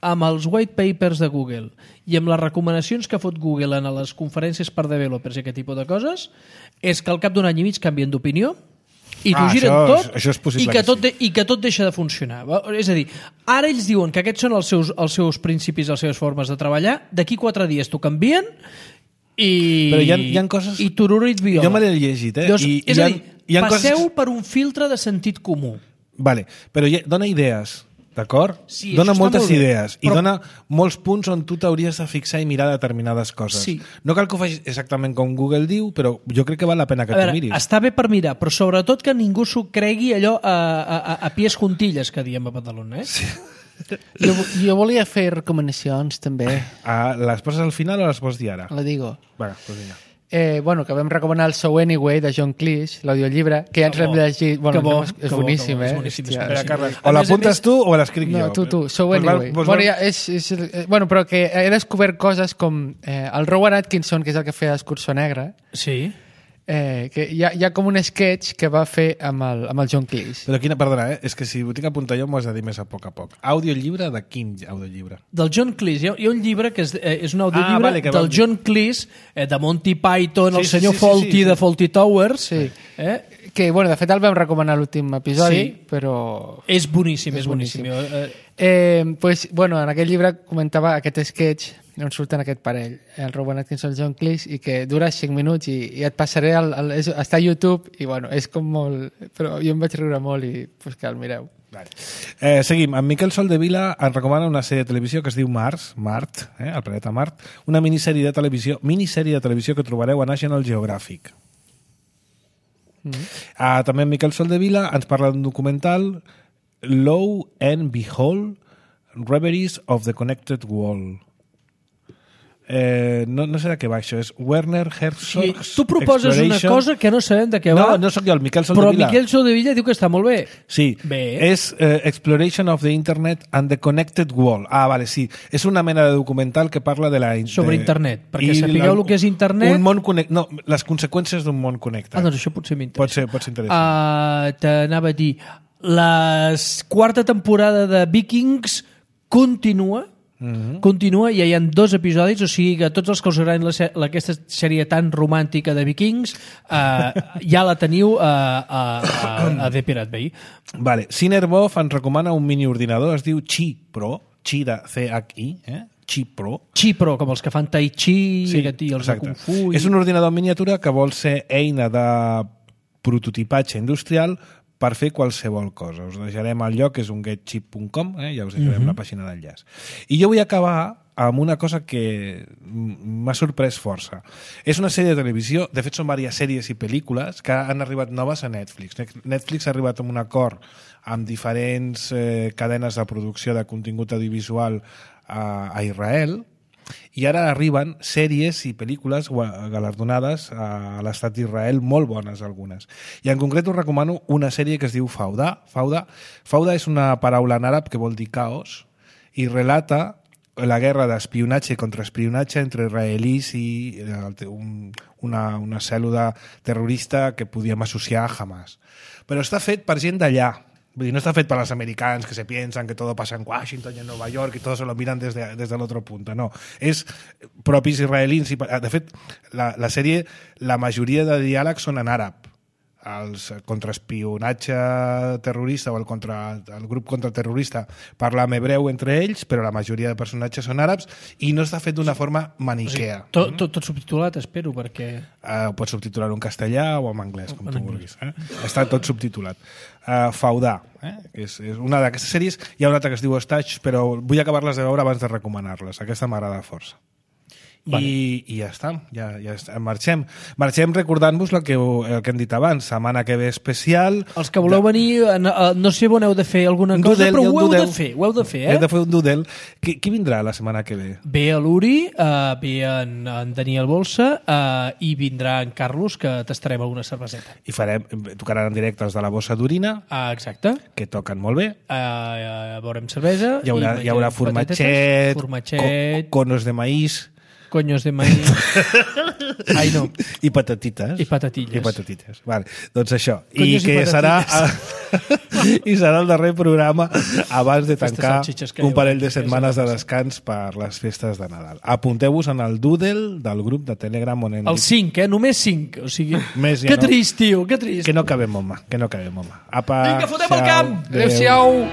amb els white papers de Google i amb les recomanacions que fot Google en les conferències per developers i aquest tipus de coses, és que al cap d'un any i mig canvien d'opinió i t'ho giren tot i que tot deixa de funcionar. És a dir, ara ells diuen que aquests són els seus principis, les seves formes de treballar, d'aquí 4 dies t'ho canvien però hi ha coses... i tururit viola. Jo me l'he llegit, és a dir, passeu per un filtre de sentit comú. Vale, però dona idees. D'acord? Sí, dona moltes idees i dona molts punts on tu t'hauries de fixar i mirar determinades coses. Sí. No cal que ho facis exactament com Google diu, però jo crec que val la pena que t'ho miris. Està bé per mirar, però sobretot que ningú s'ho cregui allò a pies juntilles, que diem a Badalona. Sí. Jo volia fer recomanacions també. Les poses al final o les pots dir ara? La digo. Bueno, pues vinga. Que vam recomanar el So Anyway de John Cleese, l'audiollibre, que ja ens l'hem llegit. Bueno, és boníssim, és boníssim. O l'apuntes tu o l'escric jo? No, tu, So Anyway. Bueno, però que he descobert coses com el Rowan Atkinson, que és el que feia Escurçó Negre. Sí. Que hi ha com un sketch que va fer amb el John Cleese. Però perdona, és que si ho tinc a apuntar jo m'ho has de dir més a poc. Audiollibre de quin audiollibre? Del John Cleese. Hi ha un llibre que és un audiollibre del John Cleese, de Monty Python, el senyor Fawlty de Fawlty Towers. Sí. Que, de fet, el vam recomanar a l'últim episodi, però... És boníssim, és boníssim. En aquell llibre comentava aquest sketch on surten aquest parell, el Rowan Atkinson i el John Cleese, i que dura 5 minuts i et passaré està a YouTube i és com molt... Però jo em vaig riure molt i que el mireu. Vale. Seguim. En Miquel Soldevila ens recomana una sèrie de televisió que es diu Mart, el planeta Mart, una minissèrie de televisió que trobareu a National Geographic. També en Miquel Soldevila ens parla d'un documental, Lo and Behold, Reveries of the Connected World. no sé de què va això, és Werner Herzog. Sí, tu proposes una cosa que no sabem de què va. No sóc jo, el Miquel Soldevila. Però Miquel Soldevila diu que està molt bé. Sí, és Exploration of the Internet and the Connected World. Vale, sí. És una mena de documental que parla de la... Sobre internet, perquè sapigueu el que és internet... Un món no, les conseqüències d'un món connectat. Doncs això potser m'interessa. Pot ser interessant. T'anava a dir, la quarta temporada de Vikings continua, i ja hi ha 2 episodis, o sigui que tots els que us agradin aquesta sèrie tan romàntica de Vikings ja la teniu a The Pirate Bay. Vale. Cinerbov ens recomana un mini ordinador, es diu Qi Pro, Qi de C-H-I, Qi Pro. Qi Pro, com els que fan Tai Chi i els de Kung Fu. És un ordinador en miniatura que vol ser eina de prototipatge industrial per fer qualsevol cosa. Us deixarem el lloc, és un getchip.com, ja us deixarem la pàgina d'enllaç. I jo vull acabar amb una cosa que m'ha sorprès força. És una sèrie de televisió, de fet són diverses sèries i pel·lícules que han arribat noves a Netflix. Netflix ha arribat a un acord amb diferents cadenes de producció de contingut audiovisual a Israel, i ara arriben sèries i pel·lícules galardonades a l'estat d'Israel, molt bones algunes. I en concret us recomano una sèrie que es diu Fauda. Fauda és una paraula en àrab que vol dir caos i relata la guerra d'espionatge i contraespionatge entre israelís i una cèl·lula terrorista que podíem associar a Hamas. Però està fet per gent d'allà. Vull dir, no està fet per als americans que se piensan que todo pasa en Washington y en Nueva York y todos se lo miran desde el otro punto. No, és propis israelins. De fet, la sèrie, la majoria de diàlegs són en àrab. El contraespionatge terrorista o el grup contraterrorista parla en hebreu entre ells, però la majoria de personatges són àrabs i no està fet d'una forma maniquea. O sigui, tot subtitulat, espero, perquè... Pots subtitular-ho en castellà o en anglès, com tu vulguis. Està tot subtitulat. Fauda, que és una d'aquestes sèries. Hi ha una altra que es diu Stage, però vull acabar-les de veure abans de recomanar-les. Aquesta m'agrada força. Vale. I ja està, ja marxem recordant-vos el que hem dit abans, setmana que ve especial. Els que voleu venir, no sé on heu de fer alguna cosa, però ho heu de fer. Heu de fer un doodle. Qui vindrà la setmana que ve? Ve a l'Uri, ve en Daniel Bolsa i vindrà en Carlos, que tastarem alguna cerveseta. I tocaran en directe els de la Bossa d'Orina, exacte, que toquen molt bé. Veurem cervesa. Hi haurà formatget, conos de maïs, coños de maíz. Ai, no. I patatites. I patatilles. Vale, doncs això. I que serà el darrer programa abans de tancar un parell de setmanes de descans per les festes de Nadal. Apunteu-vos en el doodle del grup de Telegram on hem dit... El 5, només 5. O sigui, que trist, tio, que trist. Que no cabem, home. Vinga, fotem el camp! Adéu-siau!